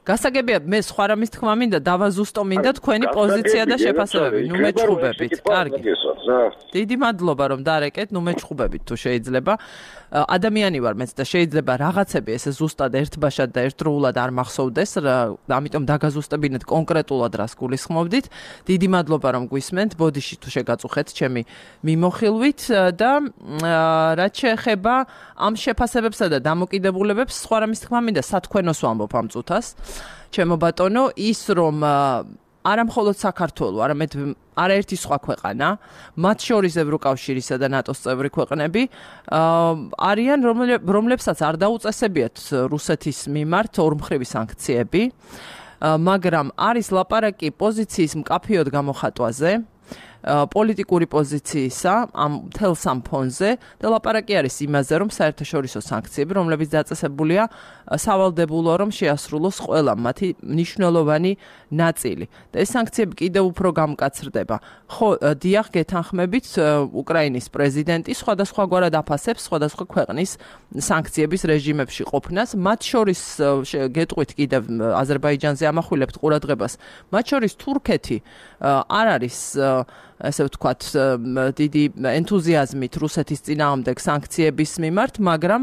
გასაგებია მე სხვა რამის თქმა მინდა დავაზუსტო მინდა თქვენი პოზიცია და შეფასებები. ნუ მეჩხუბებით. კარგი. დიდი მადლობა რომ დარეკეთ, ნუ მეჩხუბებით თუ შეიძლება. ადამიანი ვარ მეც და შეიძლება რაღაცები ესე ზუსტად ერთბაშად და ერთდროულად არ მახსოვდეს, ამიტომ დაგაზუსტებინეთ კონკრეტულად რას გულისხმობდით. დიდი მადლობა რომ გვისმენთ, ბოდიში თუ შეგაწუხეთ ჩემი მიმოხილვით და რაც შეეხება ამ შეფასებებსა და დამოკიდებულებებს, სხვა რამის თქმა მინდა სათქვენოს ვამბობ ამ წუთას. ჩემო ბატონო, ის რომ არა მხოლოდ საქართველო, არამედ არაერთი სხვა ქვეყანა, მათ შორის ევროკავშირისა და ნატოს წევრი ქვეყნები, არიან რომლებსაც არ დაუწესებიათ რუსეთის მიმართ ორმხრივი სანქციები, მაგრამ არის ლაპარაკი პოზიციის მკაფიოდ გამოხატვაზე, პოლიტიკური პოზიციისა ამ მთელ სამ ფონზე და ლაპარაკი არის იმაზე, რომ საერთაშორისო სანქციები, რომლებიც დაწესებულია, სავალდებულოა რომ შეასრულოს ყველა მათი მნიშვნელოვანი ნაწილი. და ეს სანქციები კიდევ უფრო გამკაცრდება. ხო, დიახ, გეთანხმებით, უკრაინის პრეზიდენტი სხვადასხვაგვარად აფასებს სხვადასხვა ქვეყნის სანქციების რეჟიმებში ყოფნას, მათ შორის გეტყვით კიდევ აზერბაიჯანზე ამახვილებთ ყურადღებას, მათ შორის თურქეთი არ არის ასე ვთქვათ, დიდი ენთუზიაზმით რუსეთის წინააღმდეგ სანქციების მიმართ, მაგრამ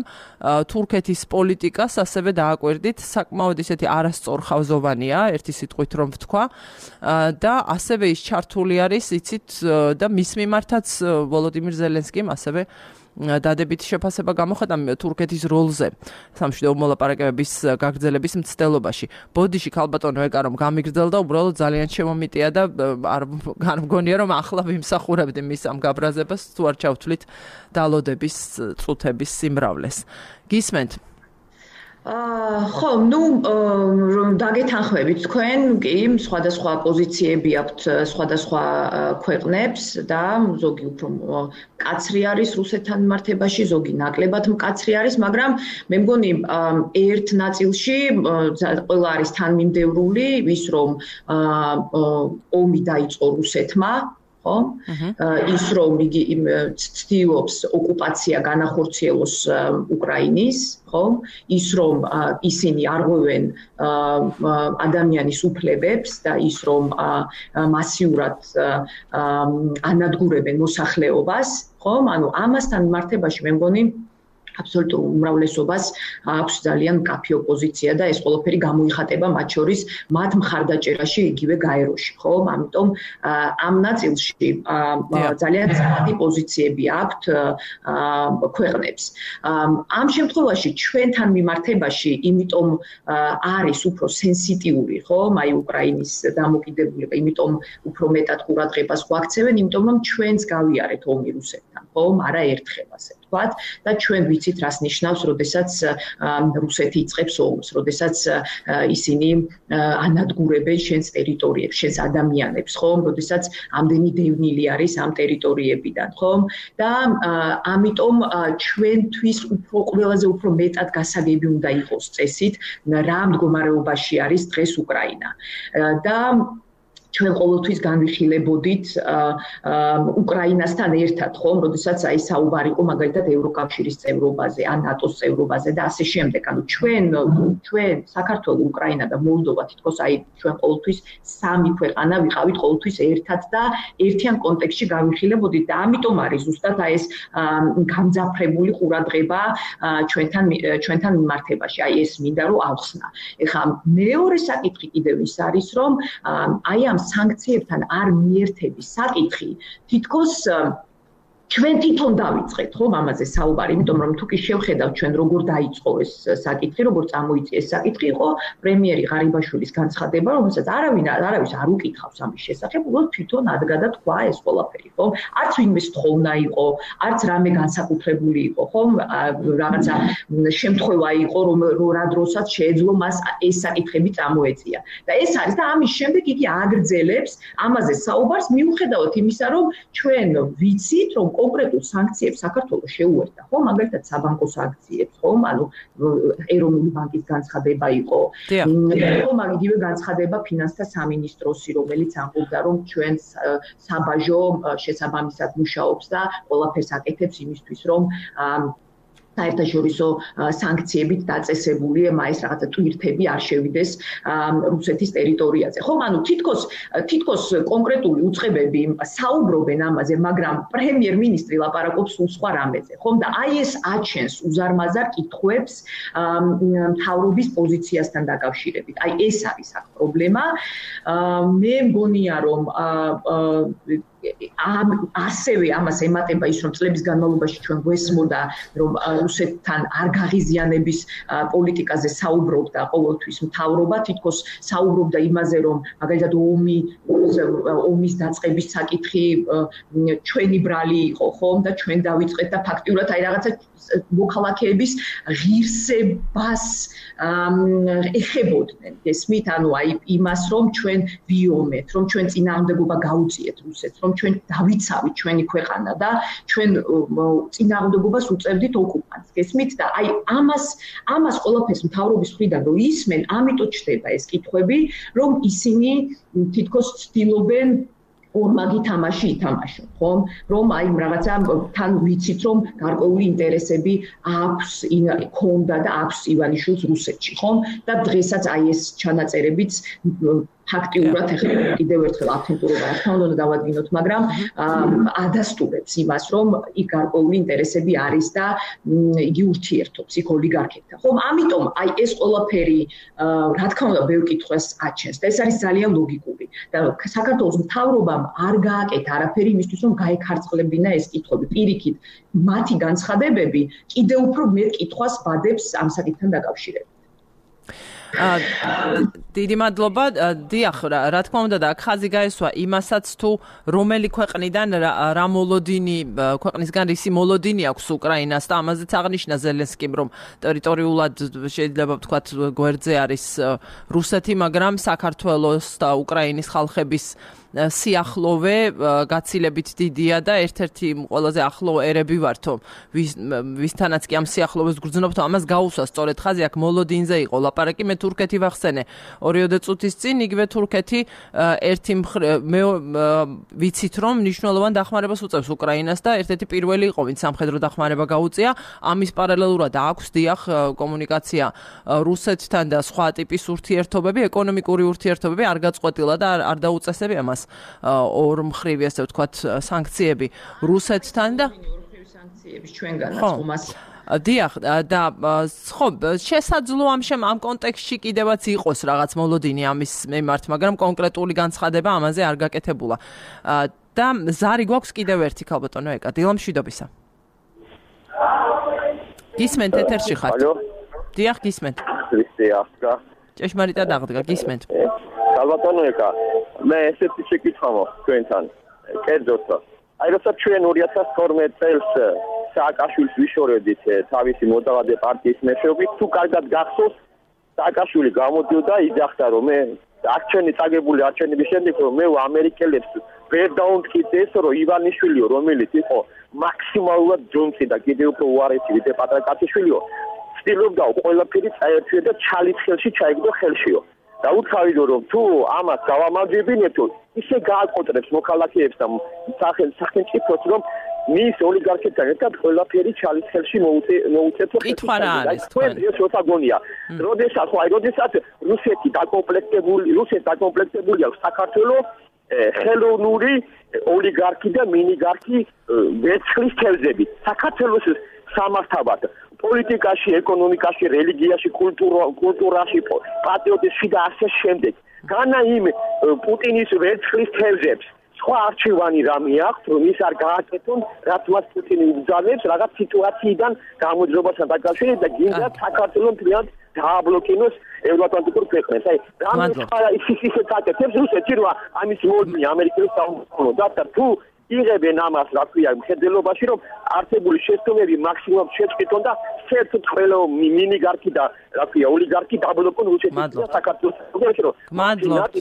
თურქეთის პოლიტიკას ასევე დააკვირდით, საკმაოდ ისეთი არასწორხავზოვანია, ერთი სიტყვით რომ ვთქვა, და ასევე ის ჩართული არის, იცით, და მის მიმართაც ვოლოდიმირ ზელენსკიმ ასევე დადებითი შეფასება გამოხატა თურქეთის როლზე სამშვიდობო მოლაპარაკებების გაგრძელების მცდელობაში. ბოდიში ქალბატონო ეკა რომ გამიგრძელდა, უბრალოდ ძალიან შემომიტია და არ მგონია რომ ახლა ვიმსახურებდი მის ამ გაბრაზებას, თუ არ ჩავთვლით დალოდების წუთების სიმრავლეს. გისმენთ? ხო, ნუ დაგეთანხმებით თქვენ, კი, სხვადასხვა პოზიციები აქვთ სხვადასხვა ქვეყნებს და ზოგი უფრო მკაცრი არის რუსეთთან მიმართებაში, ზოგი ნაკლებად მკაცრი არის, მაგრამ მე მგონი ერთ ნაწილში ყველა არის თანმიმდევრული, ის რომ ომი დაიწყო რუსეთმა, ხო? ის რომ იგი ცდილობს ოკუპაცია განახორციელოს უკრაინის, ხო? ის რომ ისინი არღვევენ ადამიანის უფლებებს და ის რომ მასიურად ანადგურებენ მოსახლეობას, ხო? ანუ ამასთან მიმართებაში მე მგონი აბსოლუტურ უმრავლესობას აქვს ძალიან მკაფიო პოზიცია და ეს ყველაფერი გამოიხატება მათ შორის მათ მხარდაჭერაში იგივე გაეროში, ხო? ამიტომ ამ ნაწილში ძალიან ძლიერი პოზიციები აქვთ ქვეყნებს. ამ შემთხვევაში ჩვენთან მიმართებაში, იმიტომ არის უფრო სენსიტიური, ხო? აი უკრაინის დამოკიდებულება, იმიტომ უფრო მეტად ყურადღებას გვაქცევენ, იმიტომ რომ ჩვენც გავიარეთ ომი რუსეთთან, ხო? არა ერთხელ ასე ვთქვათ და ჩვენ ვიცით რას ნიშნავს, როდესაც რუსეთი იწყებს ომს, როდესაც ისინი ანადგურებენ შენს ტერიტორიებს, შენს ადამიანებს, ხო? როდესაც ამდენი დევნილი არის ამ ტერიტორიებიდან, ხო? და ამიტომ ჩვენთვის უფრო ყველაზე უფრო მეტად გასაგები უნდა იყოს წესით, რა მდგომარეობაში არის დღეს უკრაინა. და ჩვენ ყოველთვის განვიხილებოდით უკრაინასთან ერთად, ხომ, როდესაც აი საუბარი იყო მაგალითად ევროკავშირის წევრობაზე, ან ნატოს წევრობაზე და ასე შემდეგ. ანუ ჩვენ ჩვენ საქართველო, უკრაინა და მოლდოვა თითქოს აი ჩვენ ყოველთვის სამი ქვეყანა ვიყავით ყოველთვის ერთად და ერთიან კონტექსტში განვიხილებოდით და ამიტომ არის ზუსტად აი ეს გამძაფრებული ყურადღება ჩვენთან ჩვენთან მიმართებაში. აი ეს მინდა რომ ავხსნა. ეხლა მეორე საკითხი კიდევ ის არის, რომ აი ამ სანქციებთან არ მიერთების საკითხი თითქოს ჩვენ თვითონ დავიწყეთ, ხო, ამაზე საუბარი, იმიტომ რომ თუ კი შევხედავთ ჩვენ როგორ დაიწყო ეს საკითხი, როგორ წამოიწია ეს საკითხი, იყო პრემიერი ღარიბაშვილის განცხადება, რომელსაც არავინ არავის არ უკითხავს ამის შესახებ, უბრალოდ თვითონ ადგა და თქვა ეს ყველაფერი, ხო? არც ვინმე სთხოვნა იყო, არც რამე განსაკუთრებული იყო, ხო? რაღაცა შემთხვევა იყო, რომ რა დროსაც შეეძლო მას ეს საკითხები წამოეწია. და ეს არის და ამის შემდეგ იგი აგრძელებს ამაზე საუბარს, მიუხედავად იმისა, რომ ჩვენ ვიცით, რომ კონკრეტულ სანქციებს საქართველოს შეუერთდა, ხო, მაგალითად საბანკო სანქციებს, ხო, ანუ ეროვნული ბანკის განცხადება იყო, ხო, მაგიდივე განცხადება ფინანსთა სამინისტროსი, რომელიც ამბობდა, რომ ჩვენ საბაჟო შესაბამისად მუშაობს და ყველაფერს აკეთებს იმისთვის, რომ საერთაშორისო სანქციებით დაწესებული მაის რაღაცა ტვირთები არ შევიდეს რუსეთის ტერიტორიაზე. ხო, ანუ თითქოს თითქოს კონკრეტული უწყებები საუბრობენ ამაზე, მაგრამ პრემიერ-მინისტრი ლაპარაკობს სულ სხვა რამეზე. ხომ და აი ეს აჩენს უზარმაზარ კითხვებს მთავრობის პოზიციასთან დაკავშირებით. აი ეს არის აქ პრობლემა. მე მგონია რომ ასევე ამას ემატება ის რომ წლების განმავლობაში ჩვენ გვესმოდა რომ რუსეთთან არ გაღიზიანების პოლიტიკაზე საუბრობდა ყოველთვის მთავრობა თითქოს საუბრობდა იმაზე რომ მაგალითად ომი ომის დაწყების საკითხი ჩვენი ბრალი იყო ხომ და ჩვენ დავიწყეთ და ფაქტიურად აი რაღაცა მოქალაქეების ღირსებას ეხებოდნენ გესმით ანუ აი იმას რომ ჩვენ ვიომეთ რომ ჩვენ წინააღმდეგობა გაუწიეთ რუსეთს რომ ჩვენ დავიცავით ჩვენი ქვეყანა და ჩვენ წინააღმდეგობას უწევდით ოკუპანტს გესმით და აი ამას ამას ყველაფერს მთავრობის მხრიდან რომ ისმენ ამიტომ ჩდება ეს კითხვები რომ ისინი თითქოს ცდილობენ ორმაგი თამაში ითამაშონ, ხომ? რომ აი რაღაცა თან ვიცით რომ გარკვეული ინტერესები აქვს, ქონდა და აქვს ივანიშვილს რუსეთში, ხომ? და დღესაც აი ეს ჩანაწერებიც ფაქტიურად ეხლა კიდევ ერთხელ აფინტურობა რა თქმა უნდა დავადგინოთ, მაგრამ ადასტურებს იმას, რომ იქ გარკვეული ინტერესები არის და იგი ურთიერთობს იქ ოლიგარქებთან. ხომ? ამიტომ აი ეს ყველაფერი რა თქმა უნდა ბევრ კითხვას აჩენს და ეს არის ძალიან ლოგიკური. და საქართველოს მთავრობამ არ გააკეთა არაფერი იმისთვის, რომ გაეკარწყლებინა ეს კითხვები. პირიქით, მათი განცხადებები კიდევ უფრო მეტ კითხვას ბადებს ამ საკითხთან დაკავშირებით. დიდი მადლობა. დიახ, რა თქმა უნდა და აქ ხაზი გაესვა იმასაც თუ რომელი ქვეყნიდან რა მოლოდინი ქვეყნისგან რისი მოლოდინი აქვს უკრაინას და ამაზეც აღნიშნა ზელენსკიმ რომ ტერიტორიულად შეიძლება ვთქვათ გვერდზე არის რუსეთი, მაგრამ საქართველოს და უკრაინის ხალხების სიახლოვე გაცილებით დიდია და ერთ-ერთი ყველაზე ახლო ერები ვართო ვისთანაც კი ამ სიახლოვეს გრძნობთ ამას გაუსვა სწორედ ხაზი აქ მოლოდინზე იყო ლაპარაკი მე თურქეთი ვახსენე ორიოდე წუთის წინ იგივე თურქეთი ერთი მე ვიცით რომ მნიშვნელოვან დახმარებას უწევს უკრაინას და ერთ-ერთი პირველი იყო ვინც სამხედრო დახმარება გაუწია ამის პარალელურად აქვს დიახ კომუნიკაცია რუსეთთან და სხვა ტიპის ურთიერთობები ეკონომიკური ურთიერთობები არ გაწყვეტილა და არ დაუწესები ამას ორმხრივი ასე ვთქვათ სანქციები რუსეთთან და სანქციების ჩვენგანაც ხომას დიახ და ხო შესაძლოა ამ შემ ამ კონტექსტში კიდევაც იყოს რაღაც მოლოდინი ამის მიმართ მაგრამ კონკრეტული განცხადება ამაზე არ გაკეთებულა და ზარი გვაქვს კიდევ ერთი ქალბატონო ეკა დილამშვიდობისა გისმენთ ეთერში ხართ დიახ გისმენთ ქრისტიანსკა ჭეშმარიტად აღდგა გისმენთ ქალბატონო ეკა მე ესეთი შეკითხვა მაქვს თქვენთან კერძოდ აი როცა ჩვენ ორი ათას თორმეტ წელს სააკაშვილის ვიშორებდით თავისი მოდავადე პარტიის მეშვეობით თუ კარგად გახსოვს სააკაშვილი გამოდიოდა იძახდა რომ მე არჩენი წაგებული არჩენების შემდეგ რომ მე ამერიკელებს ვერ დაუნტკით ეს რომ ივანიშვილიო რომელიც იყო მაქსიმალურად ჯონსი და კიდევ უფრო უარესი ვიდრე პატრაკაციშვილიო ცდილობდა ყველაფერი წაერთვიო და ჩალის ხელში ჩაიგდო ხელშიო და უცხავიდო რომ თუ ამას გავამაჯებინეთო ისე გააკოტრებს მოქალაქეებს და სახელმწიფოს რომ მის ოლიგარქებთან ერთად ყველაფერი ჩალის ხელში მოუწეთო კითხვა რა არის თქვენ ეს როთაგონია როდესაც ხო აი როდესაც რუსეთი დაკომპლექტებული რუსეთი დაკომპლექტებული აქვს საქართველოს ხელოვნური ოლიგარქი და მინიგარქი ვერცხლის თევზებით საქართველოს სამართავად პოლიტიკაში, ეკონომიკაში, რელიგიაში, კულტურაში, პატრიოტიზმში და ასე შემდეგ. განა იმ პუტინის ვერცხლის თევზებს სხვა არჩევანი რამე აქვს, რომ ის არ გააკეთონ, რაც მას პუტინი უბრძანებს, რაღაც სიტუაციიდან გამოძრობასთან დაკავშირებით და გინდა საქართველოს მთლიანად დააბლოკინოს ევროატლანტიკურ ქვეყნებს. აი, რამე ის ისე წაკეთებს რუსეთი, რომ ამის მოდნი ამერიკელს დაუყოვნო და თუ იღებენ ამას, რა ქვია, მხედველობაში, რომ არსებული შეცდომები მაქსიმუმად შეწყვიტონ და საერთოდ ყველა მინიგარქი და რა ქვია, ოლიგარქი დაბლოკონ რუსეთის და საქართველოს. გმადლობთ.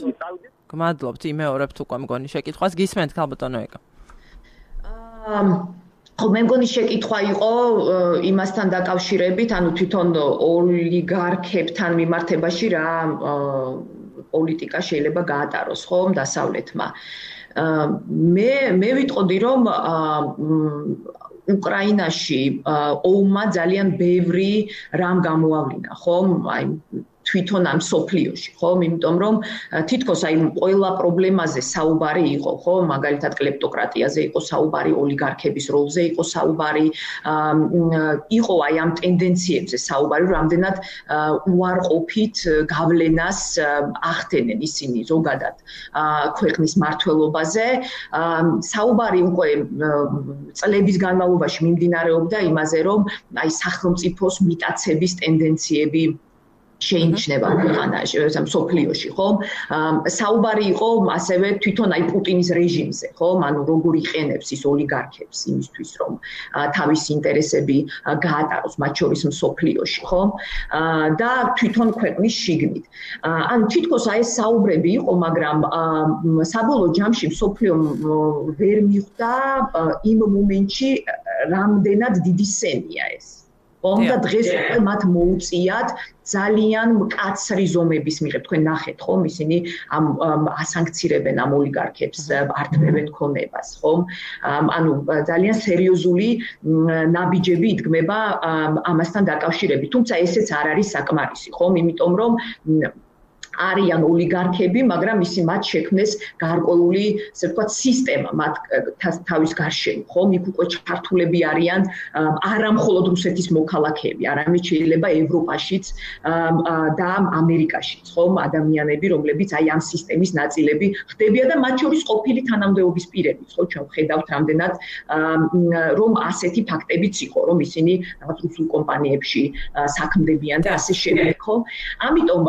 გმადლობთ, იმეორებთ უკვე მგონი შეკითხვას. გისმენთ ქალბატონო ეკა. ხო, მე მგონი შეკითხვა იყო იმასთან დაკავშირებით, ანუ თვითონ ოლიგარქებთან მიმართებაში რა პოლიტიკა შეიძლება გაატაროს, ხო, დასავლეთმა. მე მე ვიტყოდი, რომ უკრაინაში ომმა ძალიან ბევრი რამ გამოავლინა, ხო? აი თვითონ ამ სოფლიოში, ხო? იმიტომ რომ თითქოს აი ყველა პრობლემაზე საუბარი იყო, ხო? მაგალითად კლეპტოკრატიაზე იყო საუბარი, ოლიგარქების როლზე იყო საუბარი, იყო აი ამ ტენდენციებზე საუბარი, რამდენად უარყოფით გავლენას ახდენენ ისინი ზოგადად ქვეყნის მართლობაზე. საუბარი უკვე წლების განმავლობაში მიმდინარეობდა იმაზე, რომ აი სახელმწიფოს მიტაცების ტენდენციები შეიმჩნევა ქვეყანაში, სოფლიოში, ხო? საუბარი იყო ასევე თვითონ აი პუტინის რეჟიმზე, ხო? ანუ როგორ იყენებს ის ოლიგარქებს იმისთვის, რომ თავის ინტერესები გაატაროს, მათ შორის სოფლიოში, ხო? და თვითონ ქვეყნის შიგნით. ანუ თითქოს აი ეს საუბრები იყო, მაგრამ საბოლოო ჯამში სოფლიომ ვერ მიხვდა იმ მომენტში, რამდენად დიდი სენია ეს. ხომ და დღეს უკვე მათ მოუწიათ ძალიან მკაცრი ზომების მიღებ, თქვენ ნახეთ, ხომ, ისინი ამ ასანქცირებენ ამ ოლიგარქებს, ართმევენ ქონებას, ხომ? ანუ ძალიან სერიოზული ნაბიჯები იდგმება ამასთან დაკავშირებით. თუმცა ესეც არ არის საკმარისი, ხომ? იმიტომ რომ არიან ოლიგარქები, მაგრამ ისი მათ შექმნეს გარკვეული, ასე ვთქვათ, სისტემა მათ თავის გარშემო, ხო? იქ უკვე ჩართულები არიან არა მხოლოდ რუსეთის მოქალაქეები, არამედ შეიძლება ევროპაშიც და ამერიკაშიც, ხო? ადამიანები, რომლებიც აი ამ სისტემის ნაწილები ხდებიან და მათ შორის ყოფილი თანამდებობის პირებიც, ხო? ჩვენ ვხედავთ რამდენად რომ ასეთი ფაქტებიც იყო, რომ ისინი რაღაც რუსულ კომპანიებში საქმდებიან და ასე შემდეგ, ხო? ამიტომ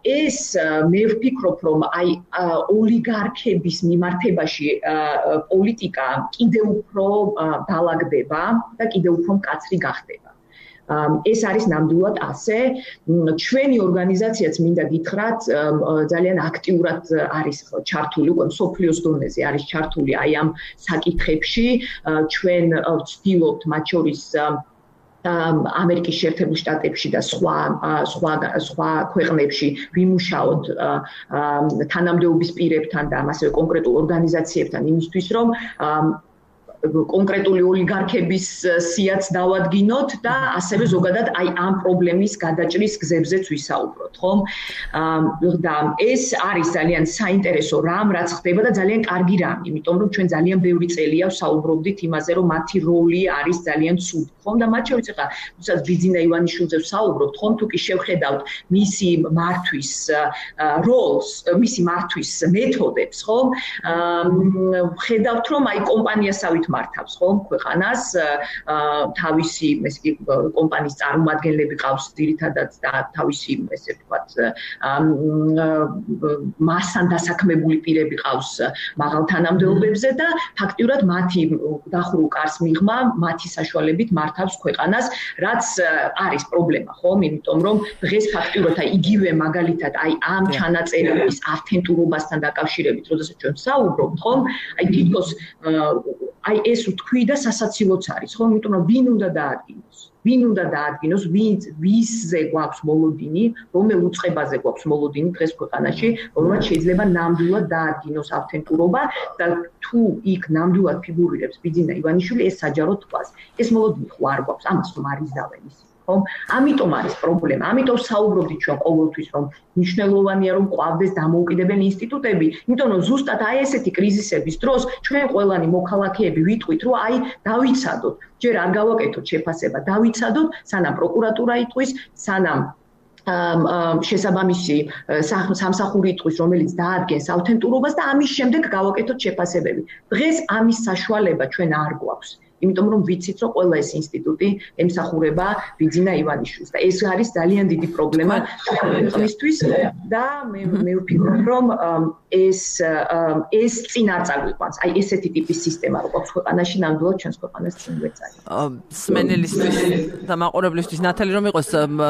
ეს მე ვფიქრობ, რომ აი ოლიგარქების მიმართებაში პოლიტიკა კიდევ უფრო დალაგდება და კიდევ უფრო მკაცრი გახდება. ეს არის ნამდვილად ასე. ჩვენი ორგანიზაციაც მინდა გითხრათ, ძალიან აქტიურად არის ჩართული, უკვე სოფლიოს დონეზე არის ჩართული აი ამ საკითხებში. ჩვენ ვცდილობთ მათ შორის ამერიკის შეერთებულ შტატებში და სხვა სხვა სხვა ქვეყნებში ვიმუშაოთ თანამდებობის პირებთან და ასევე კონკრეტულ ორგანიზაციებთან იმისთვის, რომ კონკრეტული ოლიგარქების სიაც დავადგინოთ და ასევე ზოგადად აი ამ პრობლემის გადაჭრის გზებზეც ვისაუბროთ, ხომ? და ეს არის ძალიან საინტერესო რამ, რაც ხდება და ძალიან კარგი რამ, იმიტომ რომ ჩვენ ძალიან ბევრი წელია ვსაუბრობდით იმაზე, რომ მათი როლი არის ძალიან ცუდი, ხომ? და მათ შორის ახლა თუნდაც ბიძინა ივანიშვილზე ვსაუბრობთ, ხომ? თუ კი შევხედავთ მისი მართვის როლს, მისი მართვის მეთოდებს, ხომ? ვხედავთ, რომ აი კომპანიასავით მართავს, ხომ, ქვეყანას, თავისი, ესე იგი, კომპანიის წარმომადგენლები ყავს ძირითადად და თავისი, ესე ვთქვათ, მასთან დასაქმებული პირები ყავს მაღალ თანამდებობებზე და ფაქტიურად მათი დახურულ კარს მიღმა, მათი საშუალებით მართავს ქვეყანას, რაც არის პრობლემა, ხომ? იმიტომ რომ დღეს ფაქტიურად აი იგივე მაგალითად აი ამ ჩანაწერების ავთენტურობასთან დაკავშირებით, როდესაც ჩვენ საუბრობთ, ხომ? აი თითქოს აი ეს ვთქვი და სასაცილოც არის, ხო? იმიტომ რომ ვინ უნდა დაადგინოს? ვინ უნდა დაადგინოს, ვინ ვისზე გვაქვს მოლოდინი, რომელ უწყებაზე გვაქვს მოლოდინი დღეს ქვეყანაში, რომელმაც შეიძლება ნამდვილად დაადგინოს ავთენტურობა და თუ იქ ნამდვილად ფიგურირებს ბიძინა ივანიშვილი, ეს საჯაროდ თქვას. ეს მოლოდინი ხო არ გვაქვს, ამას რომ არ იზავენ ისინი. ხომ? ამიტომ არის პრობლემა. ამიტომ საუბრობდით ჩვენ ყოველთვის, რომ მნიშვნელოვანია რომ ყვავდეს დამოუკიდებელი ინსტიტუტები, იმიტომ რომ ზუსტად აი ესეთი კრიზისების დროს ჩვენ ყველანი მოქალაქეები ვიტყვით, რომ აი დავიცადოთ, ჯერ არ გავაკეთოთ შეფასება, დავიცადოთ, სანამ პროკურატურა იტყვის, სანამ შესაბამისი სამსახური იტყვის, რომელიც დაადგენს ავთენტურობას და ამის შემდეგ გავაკეთოთ შეფასებები. დღეს ამის საშუალება ჩვენ არ გვაქვს. იმიტომ რომ ვიცით, რომ ყველა ეს ინსტიტუტი ემსახურება ბიძინა ივანიშვილს და ეს არის ძალიან დიდი პრობლემა ქვეყნისთვის და მე მე ვფიქრობ, რომ ეს ეს წინ არ წაგვიყვანს. აი ესეთი ტიპის სისტემა რო გვაქვს ქვეყანაში, ნამდვილად ჩვენს ქვეყანას წინ ვეწარით. სმენელისთვის და მაყურებლისთვის ნათალი რომ იყოს,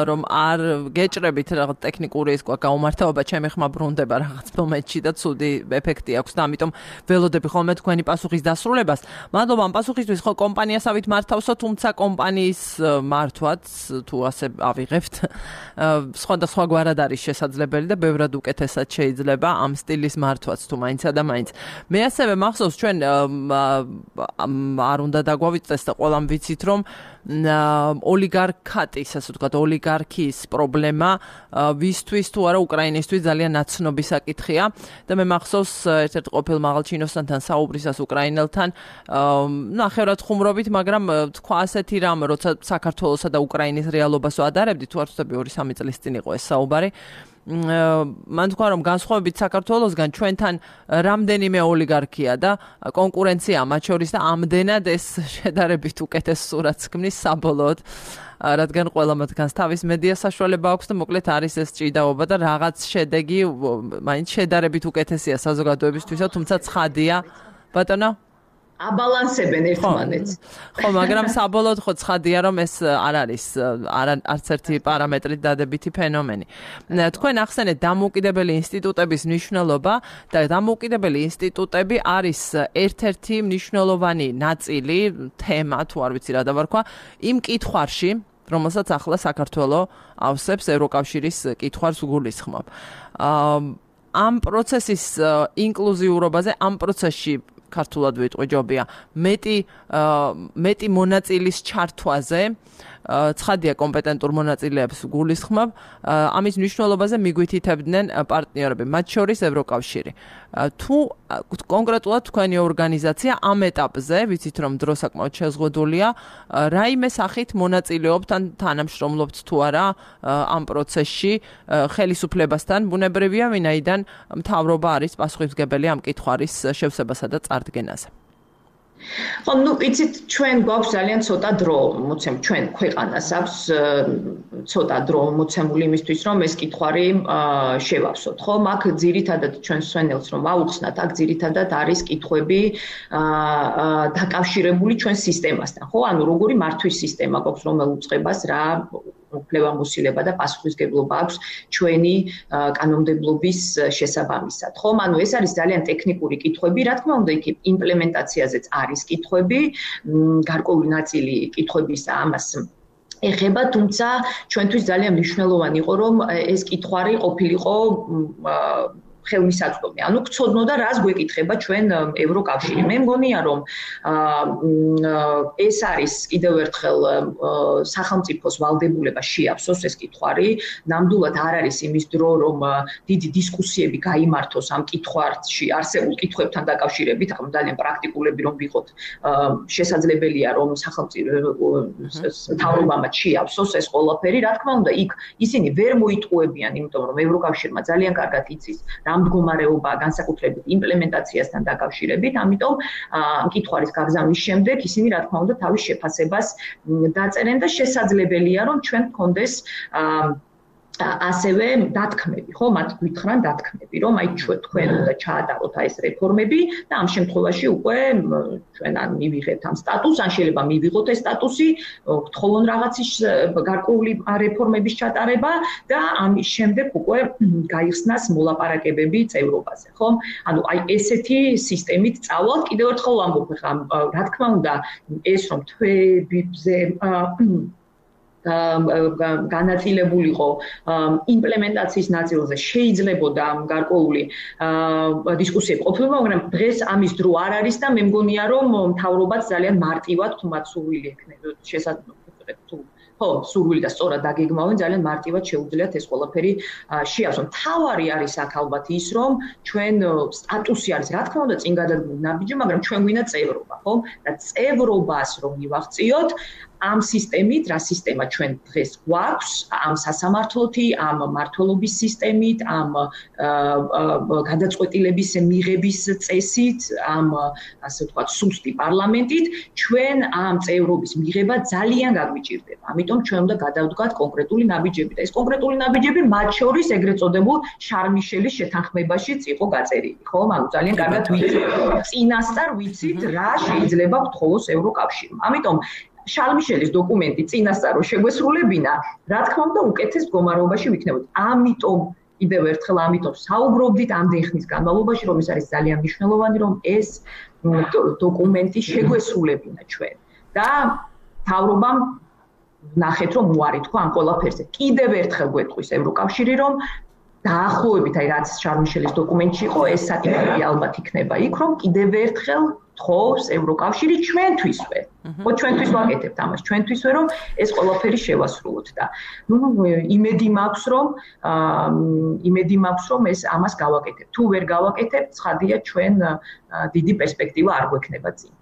რომ არ გეჭრებით რაღაც ტექნიკური ის ყვა გაუმართავება, ჩემი ხმა ბრუნდება რაღაც მომენტში და ცუდი ეფექტი აქვს და ამიტომ ველოდები ხოლმე თქვენი პასუხის დასრულებას. მადლობა ამ პასუხისთვის. ხო, კომპანიასავით მართავსო, თუმცა კომპანიის მართვაც თუ ასე ავიღებთ, სხვადასხვა გვარად არის შესაძლებელი და ბევრად უკეთესად შეიძლება ამ სტილის მართვაც თუ მაინცა და მაინც. მე ასევე მახსოვს ჩვენ არ უნდა დაგვავიწყდეს და ყველამ ვიცით რომ ოლიგარქატის, ასე ვთქვათ, ოლიგარქიის პრობლემა ვისთვის თუ არა უკრაინისთვის ძალიან ნაცნობი საკითხია და მე მახსოვს ერთ-ერთ ყოფილ მაღალჩინოსთან საუბრისას უკრაინელთან ნახევრად ხუმრობით, მაგრამ თქვა ასეთი რამ, როცა საქართველოსა და უკრაინის რეალობას ვადარებდი, თუ არ ვთქვი ორი სამი წლის წინ იყო ეს საუბარი. მან თქვა რომ განსხვავებით საქართველოსგან ჩვენთან რამდენიმე ოლიგარქია და კონკურენცია მათ შორის და ამდენად ეს შედარებით უკეთეს სურათს ქმნის საბოლოოდ, რადგან ყველა მათგანს თავის მედია საშუალება აქვს და მოკლედ არის ეს ჭიდაობა და რაღაც შედეგი მაინც შედარებით უკეთესია საზოგადოებისთვისა, თუმცა ცხადია ბატონო აბალანსებენ ერთმანეთს. ხო, მაგრამ საბოლოოდ ხო ცხადია რომ ეს არ არის არც ერთი პარამეტრით დადებითი ფენომენი. თქვენ ახსენეთ დამოუკიდებელი ინსტიტუტების მნიშვნელობა და დამოუკიდებელი ინსტიტუტები არის ერთ-ერთი მნიშვნელოვანი ნაწილი, თემა თუ არ ვიცი რა დავარქვა, იმ კითხვარში, რომელსაც ახლა საქართველოს ავსებს ევროკავშირის კითხვარს გულისხმობ. ამ პროცესის ინკლუზიურობაზე, ამ პროცესში ქართულად ვიტყვი ჯობია მეტი მეტი მონაწილის ჩართვაზე ცხადია კომპეტენტურ მონაწილეებს გულისხმობ ამის მნიშვნელობაზე მიგვითითებდნენ პარტნიორები მათ შორის ევროკავშირი თუ კონკრეტულად თქვენი ორგანიზაცია ამ ეტაპზე ვიცით რომ დრო საკმაოდ შეზღუდულია რაიმე სახით მონაწილეობთ ან თანამშრომლობთ თუ არა ამ პროცესში ხელისუფლებასთან ბუნებრივია ვინაიდან მთავრობა არის პასუხისმგებელი ამ კითხვარის შევსებასა და წარდგენაზე ხო, ну, იცით, ჩვენ გვაქვს ძალიან ცოტა დრო, მოცემ ჩვენ ქვეყანას აქვს ცოტა დრო მოცემული იმისთვის, რომ ეს კითხვარი შევავსოთ, ხო? მაგ ძირითადად ჩვენ სვენელს რომ აუხსნათ, აქ ძირითადად არის კითხვები დაკავშირებული ჩვენ სისტემასთან, ხო? ანუ როგორი მართვის სისტემა გვაქვს, რომელ უწყებას რა უფლებამოსილება და პასუხისმგებლობა აქვს ჩვენი კანონმდებლობის შესაბამისად. ხო, ანუ ეს არის ძალიან ტექნიკური კითხვები, რა თქმა უნდა, იქ იმპლემენტაციაზეც არის კითხვები, გარკვეული ნაწილი კითხვებისა ამას ეხება, თუმცა ჩვენთვის ძალიან მნიშვნელოვანი იყო, რომ ეს კითხვარი ყოფილიყო ხელმისაწვდომი. ანუ გწოდნოდა რას გვეკითხება ჩვენ ევროკავშირი. მე მგონია რომ ეს არის კიდევ ერთხელ სახელმწიფოს ვალდებულება შეავსოს ეს კითხვარი. ნამდვილად არ არის იმის დრო რომ დიდი დისკუსიები გაიმართოს ამ კითხვარში არსებულ კითხვებთან დაკავშირებით, ახლა ძალიან პრაქტიკულები რომ ვიყოთ, შესაძლებელია რომ სახელმწიფო მთავრობამ შეავსოს ეს ყველაფერი. რა თქმა უნდა, იქ ისინი ვერ მოიტყუებიან, იმიტომ რომ ევროკავშირმა ძალიან კარგად იცის მდგომარეობა განსაკუთრებით იმპლემენტაციასთან დაკავშირებით, ამიტომ ამ კითხვარის გაგზავნის შემდეგ ისინი რა თქმა უნდა თავის შეფასებას დაწერენ და შესაძლებელია რომ ჩვენ გქონდეს ასევე დათქმები, ხო, მათ გვითხრან დათქმები, რომ აი ჩვენ თქვენ უნდა ჩაატაროთ აი ეს რეფორმები და ამ შემთხვევაში უკვე ჩვენ ან მივიღებთ ამ სტატუსს, ან შეიძლება მივიღოთ ეს სტატუსი, გთხოვონ რაღაცის გარკვეული რეფორმების ჩატარება და ამის შემდეგ უკვე გაიხსნას მოლაპარაკებები წევრობაზე, ხო? ანუ აი ესეთი სისტემით წავალთ, კიდევ ერთხელ ვამბობ, ხა რა თქმა უნდა, ეს რომ თვეებზე განაწილებულიყო იმპლემენტაციის ნაწილზე შეიძლებოდა გარკვეული დისკუსიები ყოფილიყო, მაგრამ დღეს ამის დრო არ არის და მე მგონია რომ მთავრობაც ძალიან მარტივად თუ მათ სურვილი ექნება შესაძლოა თუ ხო, სურვილი და სწორად დაგეგმავენ, ძალიან მარტივად შეუძლიათ ეს ყველაფერი შეავსონ. თავარი არის აქ ალბათ ის, რომ ჩვენ სტატუსი არის, რა თქმა უნდა, წინ გადადგმული ნაბიჯი, მაგრამ ჩვენ გვინდა წევრობა, ხო? და წევრობას რომ მივაღწიოთ, ამ სისტემით, რა სისტემა ჩვენ დღეს გვაქვს, ამ სასამართლოთი, ამ მართლობის სისტემით, ამ გადაწყვეტილების მიღების წესით, ამ ასე ვთქვათ, სუსტი პარლამენტით, ჩვენ ამ წევრობის მიღება ძალიან გაგვიჭირდება. ამიტომ ჩვენ უნდა გადავდგათ კონკრეტული ნაბიჯები და ეს კონკრეტული ნაბიჯები მათ შორის ეგრეთ წოდებულ შარლ-მიშელის შეთანხმებაშიც იყო გაწერილი, ხო? ანუ ძალიან კარგად ვიცით, წინასწარ ვიცით, რა შეიძლება გთხოვოს ევროკავშირმა. ამიტომ შარლ-მიშელის დოკუმენტი წინასწარ რო შეგვესრულებინა, რა თქმა უნდა, უკეთეს მდგომარეობაში ვიქნებოდით. ამიტომ კიდევ ერთხელ ამიტომ საუბრობდით ამდენ ხნის განმავლობაში, რომ ეს არის ძალიან მნიშვნელოვანი, რომ ეს დოკუმენტი შეგვესრულებინა ჩვენ. და თავრობამ ნახეთ რომ უარი თქვა ამ ყველაფერზე. კიდევ ერთხელ გვეტყვის ევროკავშირი რომ დაახლოებით აი რაც შარლ მიშელის დოკუმენტში იყო ეს საკითხები ალბათ იქნება იქ რომ კიდევ ერთხელ თხოვს ევროკავშირი ჩვენთვისვე. ხო ჩვენთვის ვაკეთებთ ამას, ჩვენთვისვე რომ ეს ყველაფერი შევასრულოთ და ნუ იმედი მაქვს რომ იმედი მაქვს რომ ეს ამას გავაკეთებთ. თუ ვერ გავაკეთებთ, ცხადია ჩვენ დიდი პერსპექტივა არ გვექნება წინ.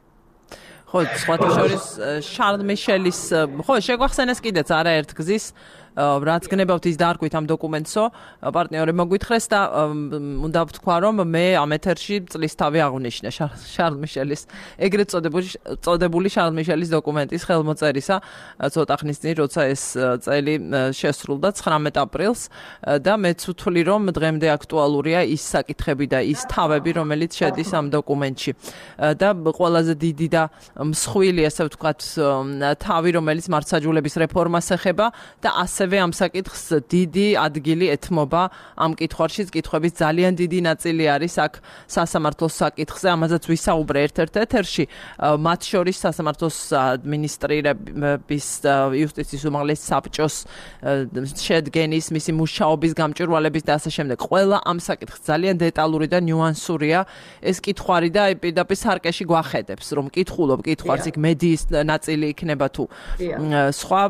ხო, სხვათა შორის შარლ მიშელის ხო შეგვახსენეს კიდეც არაერთ გზის რაც გნებავთ ის დაარქვით ამ დოკუმენტსო პარტნიორებმა მოგვითხრეს და უნდა ვთქვა რომ მე ამ ეთერში წლის თავი აღვნიშნე შარლ მიშელის ეგრეთ წოდებული წოდებული შარლ მიშელის დოკუმენტის ხელმოწერისა ცოტა ხნის წინ როცა ეს წელი შესრულდა ცხრამეტ აპრილს და მეც ვთვლი რომ დღემდე აქტუალურია ის საკითხები და ის თავები რომელიც შედის ამ დოკუმენტში და ყველაზე დიდი და მსხვილი ასე ვთქვათ თავი რომელიც მართლმსაჯულების რეფორმას ეხება და ასე ასევე ამ საკითხს დიდი ადგილი ეთმობა ამ კითხვაშიც კითხვების ძალიან დიდი ნაწილი არის აქ სასამართლოს საკითხზე ამაზეც ვისაუბრე ერთ-ერთ ეთერში მათ შორის სასამართლოს ადმინისტრირების იუსტიციის უმაღლეს საბჭოს შედგენის მისი მუშაობის გამჭვირვალების და ასე შემდეგ ყველა ამ საკითხს ძალიან დეტალური და ნიუანსურია ეს კითხვარი და პირდაპირ სარკეში გვახედებს რომ კითხულობ კითხვარს იქ მედიის ნაწილი იქნება თუ სხვა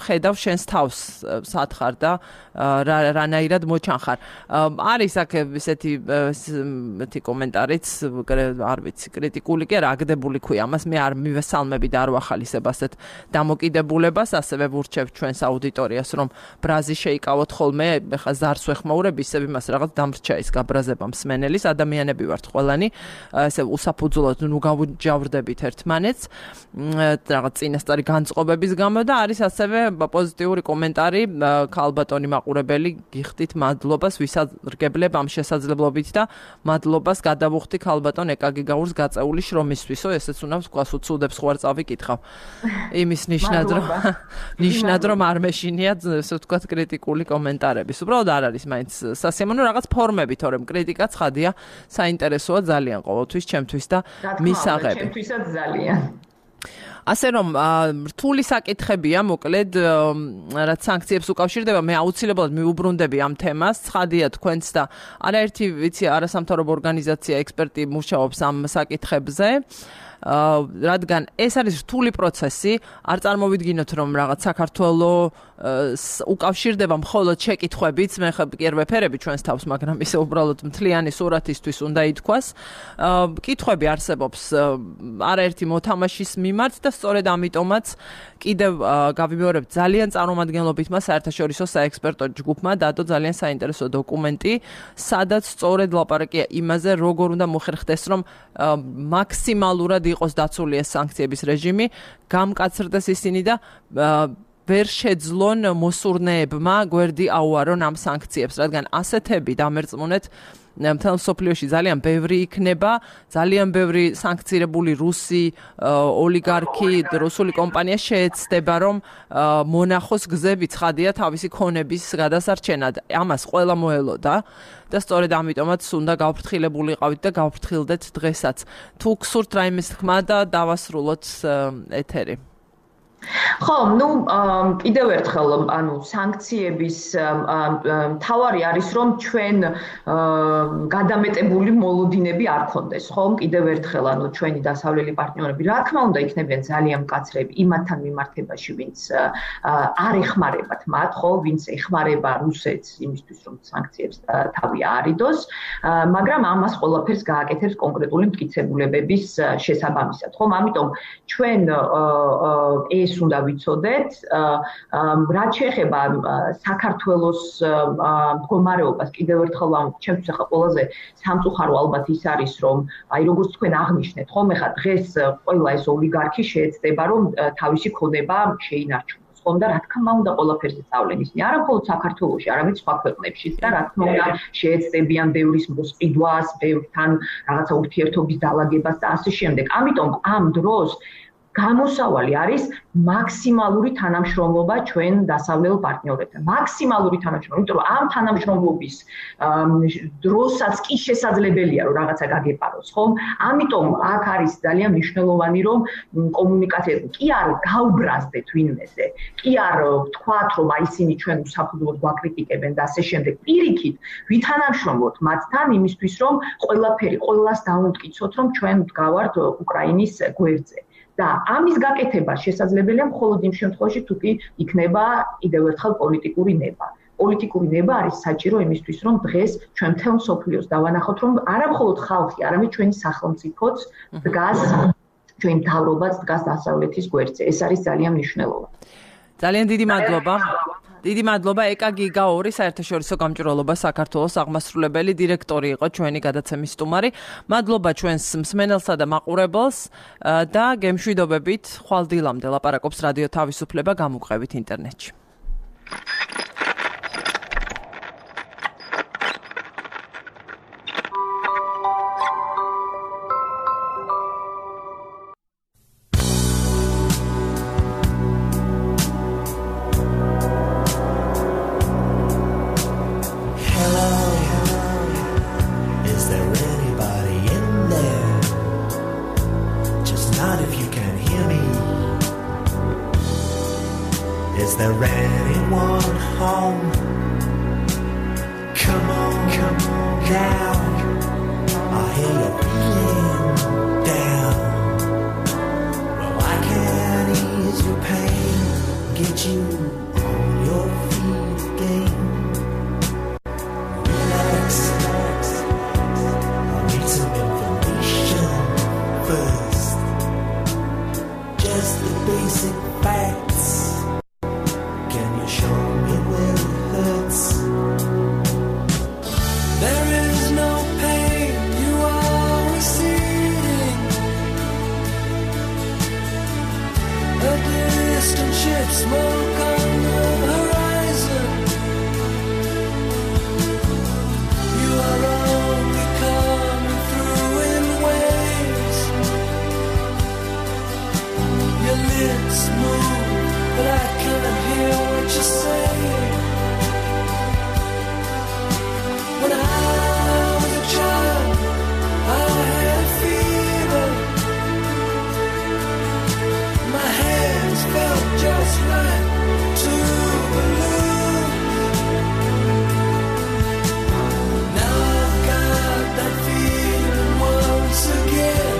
ხედავ შენს თავს სათხარ და რანაირად მოჩანხარ. არის აქ ესეთი ესეთი კომენტარიც არ ვიცი კრიტიკული კი არა აგდებული ქვია ამას მე არ მივესალმები და არ ვახალისებ ასეთ დამოკიდებულებას ასევე ვურჩევ ჩვენს აუდიტორიას რომ ბრაზი შეიკავოთ ხოლმე ეხა ზარს ვეხმაურებ ისევ იმას რაღაც დამრჩა ის გაბრაზება მსმენელის ადამიანები ვართ ყველანი ესე უსაფუძვლოდ ნუ გავუჯავრდებით ერთმანეთს რაღაც წინასწარი განწყობების გამო და არის ასევე პოზიტიური კომენტარი ქალბატონი მაყურებელი გიხდით მადლობას ვისარგებლებ ამ შესაძლებლობით და მადლობას გადავუხდი ქალბატონ ეკაგიგაურს გაწეული შრომისთვისო ესეც უნდა ვთქვას უცუდებს ხوار წავიკითხავ იმის ნიშნად რომ ნიშნად რომ არ მეშინია ესე ვთქვათ კრიტიკული კომენტარების უბრალოდ არ არის მაინც სასიამოვნო რაღაც ფორმები თორემ კრიტიკა ცხადია საინტერესოა ძალიან ყოველთვის ჩემთვის და მისაღები ჩემთვისაც ძალიან ასე რომ რთული საკითხებია მოკლედ რაც სანქციებს უკავშირდება მე აუცილებლად მიუბრუნდები ამ თემას ცხადია თქვენც და არაერთი ვიცი არასამთავრობო ორგანიზაცია ექსპერტი მუშაობს ამ საკითხებზე რადგან ეს არის რთული პროცესი არ წარმოვიდგინოთ რომ რაღაც საქართველოს უკავშირდება მხოლოდ შეკითხვებით მე ხა კი არ ვეფერები ჩვენს თავს მაგრამ ისე უბრალოდ მთლიანი სურათისთვის უნდა ითქვას კითხვები არსებობს არაერთი მოთამაშის მიმართ და სწორედ ამიტომაც კიდევ გავიმეორებ ძალიან წარმომადგენლობითმა საერთაშორისო საექსპერტო ჯგუფმა დადო ძალიან საინტერესო დოკუმენტი სადაც სწორედ ლაპარაკია იმაზე როგორ უნდა მოხერხდეს რომ მაქსიმალურად იყოს დაცული ეს სანქციების რეჟიმი გამკაცრდეს ისინი და ვერ შეძლონ მოსურნეებმა გვერდი აუარონ ამ სანქციებს რადგან ასეთები დამერწმუნეთ მთელ მსოფლიოში ძალიან ბევრი იქნება ძალიან ბევრი სანქცირებული რუსი ოლიგარქი რუსული კომპანია შეეცდება რომ მონახოს გზები ცხადია თავისი ქონების გადასარჩენად ამას ყველა მოელოდა და სწორედ ამიტომაც უნდა გავფრთხილებულიყავით და გავფრთხილდეთ დღესაც თუ გსურთ რაიმეს თქმა და დავასრულოთ ეთერი ხო, ну, კიდევ ერთხელ, ანუ სანქციების მთავარი არის რომ ჩვენ გადამეტებული მოლოდინები არ ქონდეს, ხო? კიდევ ერთხელ, ანუ ჩვენი დასავლელი პარტნიორები, რა თქმა უნდა, იქნებიან ძალიან მკაცრები იმათთან მიმართებაში, ვინც არ ეხმარებათ მათ, ხო, ვინც ეხმარება რუსეთს იმისთვის, რომ სანქციებს თავი აარიდოს, მაგრამ ამას ყველაფერს გააკეთებს კონკრეტული მტკიცებულებების შესაბამისად, ხო? ამიტომ ჩვენ ეს უნდა ვიცოდეთ, რაც შეეხება საქართველოს მდგომარეობას კიდევ ერთხელ ჩემთვის ახლა ყველაზე სამწუხარო ალბათ ის არის, რომ აი როგორც თქვენ აღნიშნეთ, ხომ ახლა დღეს ყველა ეს ოლიგარქი შეეცდება, რომ თავისი ქონება შეინარჩუნოს, ხომ და რა თქმა უნდა ყველაფერზე წავლენ ისინი, არა მხოლოდ საქართველოში, არამედ სხვა ქვეყნებშიც და რა თქმა უნდა შეეცდებიან ბევრის მოსყიდვას, ბევრთან რაღაცა ურთიერთობის დალაგებას და ასე შემდეგ. ამიტომ ამ დროს გამოსავალი არის მაქსიმალური თანამშრომლობა ჩვენ დასავლელ პარტნიორებთან. მაქსიმალური თანამშრომლობა, იმიტომ რომ ამ თანამშრომლობის დროსაც კი შესაძლებელია რომ რაღაცა გაგეპაროს, ხომ? ამიტომ აქ არის ძალიან მნიშვნელოვანი რომ კომუნიკაცია კი არ გაუბრაზდეთ ვინმეზე. კი არ ვთქვათ რომ აი ისინი ჩვენ უსაფრთხოდ გვაკრიტიკებენ და ასე შემდეგ. პირიქით, ვითანამშრომლოთ მათთან იმისთვის რომ ყველაფერი ყველას დაუმტკიცოთ რომ ჩვენ ვდგავართ უკრაინის გვერდზე. და ამის გაკეთება შესაძლებელია მხოლოდ იმ შემთხვევაში თუ კი იქნება კიდევ ერთხელ პოლიტიკური ნება. პოლიტიკური ნება არის საჭირო იმისთვის რომ დღეს ჩვენ მთელ მსოფლიოს დავანახოთ რომ არა მხოლოდ ხალხი, არამედ ჩვენი სახელმწიფოც დგას ჩვენ მთავრობაც დგას დასავლეთის გვერდზე. ეს არის ძალიან მნიშვნელოვანი. ძალიან დიდი მადლობა. დიდი მადლობა ეკა გიგაური საერთაშორისო გამჭვირვალობა საქართველოს აღმასრულებელი დირექტორი იყო ჩვენი გადაცემის სტუმარი. მადლობა ჩვენს მსმენელსა და მაყურებელს და გემშვიდობებით ხვალ დილამდე ლაპარაკობს რადიო თავისუფლება გამუყრებით ინტერნეტში. Is there anyone home? Come on, come on now. I hear you're feeling down. Well, I can ease your pain, get you on your feet again. Relax, relax. I'll need some information first. Just the basic facts. Show me where it hurts. There is no pain you are receiving. A distant ship, smoke on the horizon. You are only coming through in waves. Your lips move, but I cannot hear what you say. When I was a child, I had fever. My hands felt just like two balloons. Now I've got that feeling once again.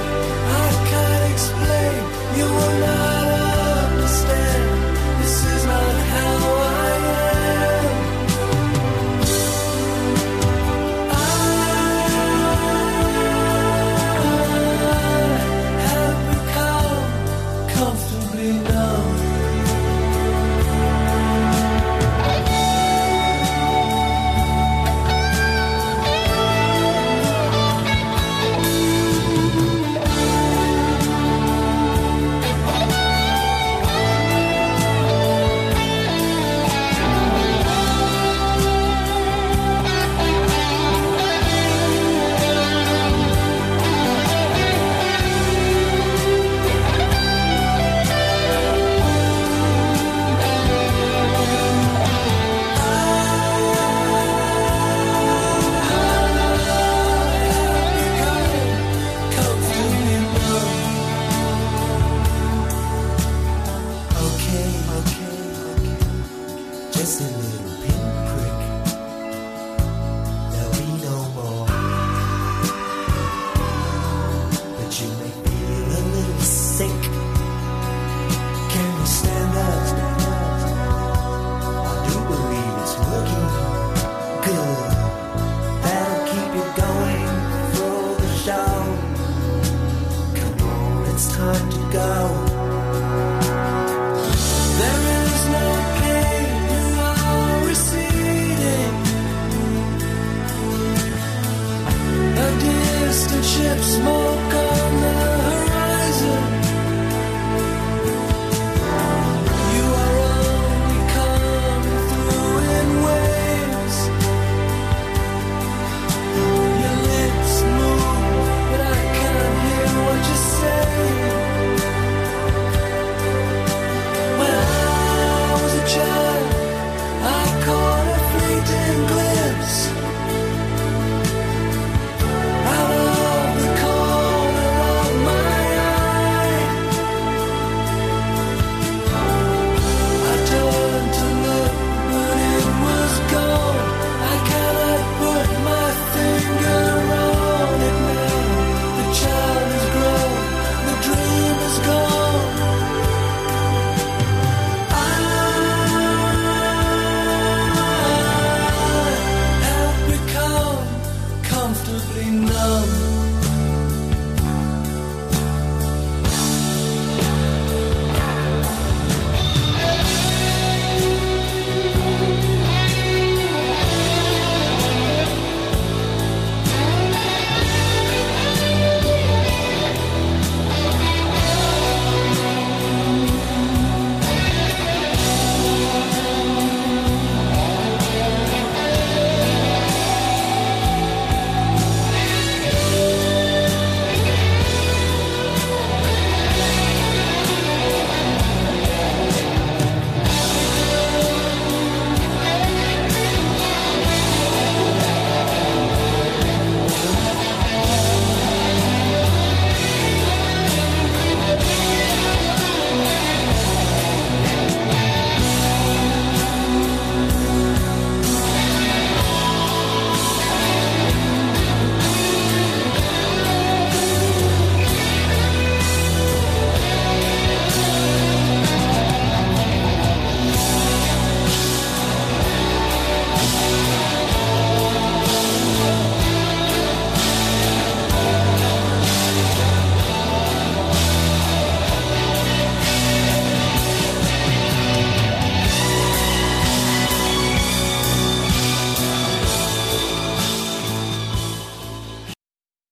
I can't explain, you will not understand. This is not how I am. I have become comfortably numb. Just a little pinprick. There'll be no more. But you may feel a little sick. Can you stand up? I do believe it's working good. That'll keep you going through the show. Come on, it's time to go. There is no pain you are receding. A distant ship, smoke on the horizon. You are only coming through in waves. Your lips move, but I can't hear what you say. feeling numb.